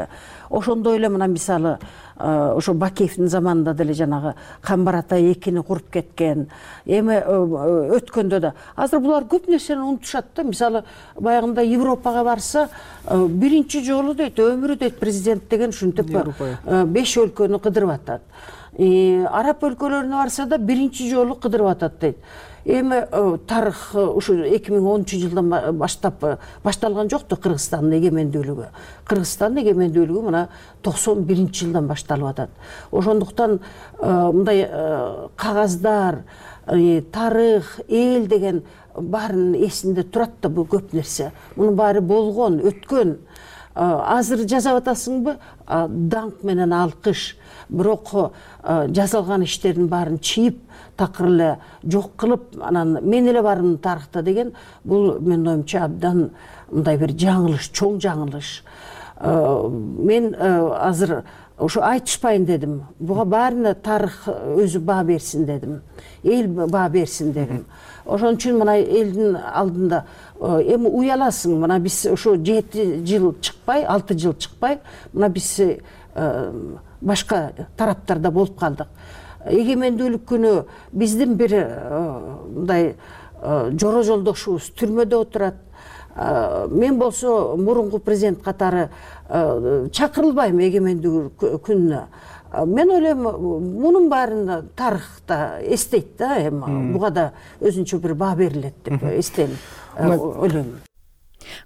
Ошондой эле мына мисалы ошо Бакеевдин заманында деле жанагы Камбар ата 2-ни куруп кеткен. Эми өткөндө да азыр булар көп нерсени унутушат да. Мисалы баягында Европага барса, биринчи жолу дейт, өмүрү дейт президент деген ушинтип 5 өлкөнү кыдырып атат. Араб өлкөлөрүнө барса да биринчи жолу кыдырып атат дейт. Эми тарых ушу 2010-жылдан баштап башталган жокту Кыргызстандын эгемендүүлүгү. Кыргызстандын эгемендүүлүгү мына 91-жылдан башталып атат. Ошондуктан мындай кагаздар, тарых, эл деген баарын эсинде турат да, бул көп нерсе. Мунун баары болгон, өткөн. Азыр жазап атасыңбы? Даңк менен алкыш. Бирок жасалган иштердин баарын чийип, такыр эле жок кылып, анан мен эле бармын тарыхта деген, бул менин оюмча абдан мындай бир жаңылыш, чоң жаңылыш. Мен азыр ошо айтышпайын дедим. Буга баарына тарых өзү баа берсин дедим. Эл баа берсин дедим. Ошон үчүн мына элдин алдында эми уяласың, мына биз ошо 7 жыл чыкпай, 6 жыл чыкпай, мына биз башка тараптарда болуп калдык. Эгемендүүлүк күнү биздин бир мындай жоро жолдошубуз түрмөдө отурат. Мен болсо мурунку президент катары чакырылбайм эгемендүүлүк күнүнө. Мен ойлойм, мунун баарын тарыхта эстейт да, эми буга да өзүнчө бир баа берилет деп эстейм, ойлойм.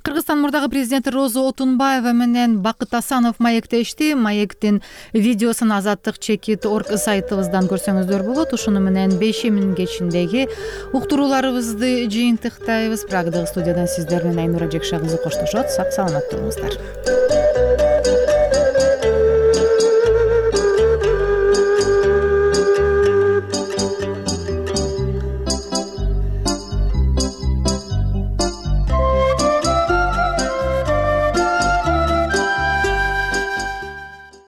Кыргызстан мурдагы президенти Роза Отунбаева менен Бакыт Асанов маектешти. Маектин видеосун azatlyk.org сайтыбыздан көрсөңүздөр болот. Ушуну менен 5-мин кечиндеги уктурууларыбызды жыйынтыктайбыз. Прагдагы студиядан сиздер менен Айнура Жекшагызы коштошот. Сак саламат болуңуздар.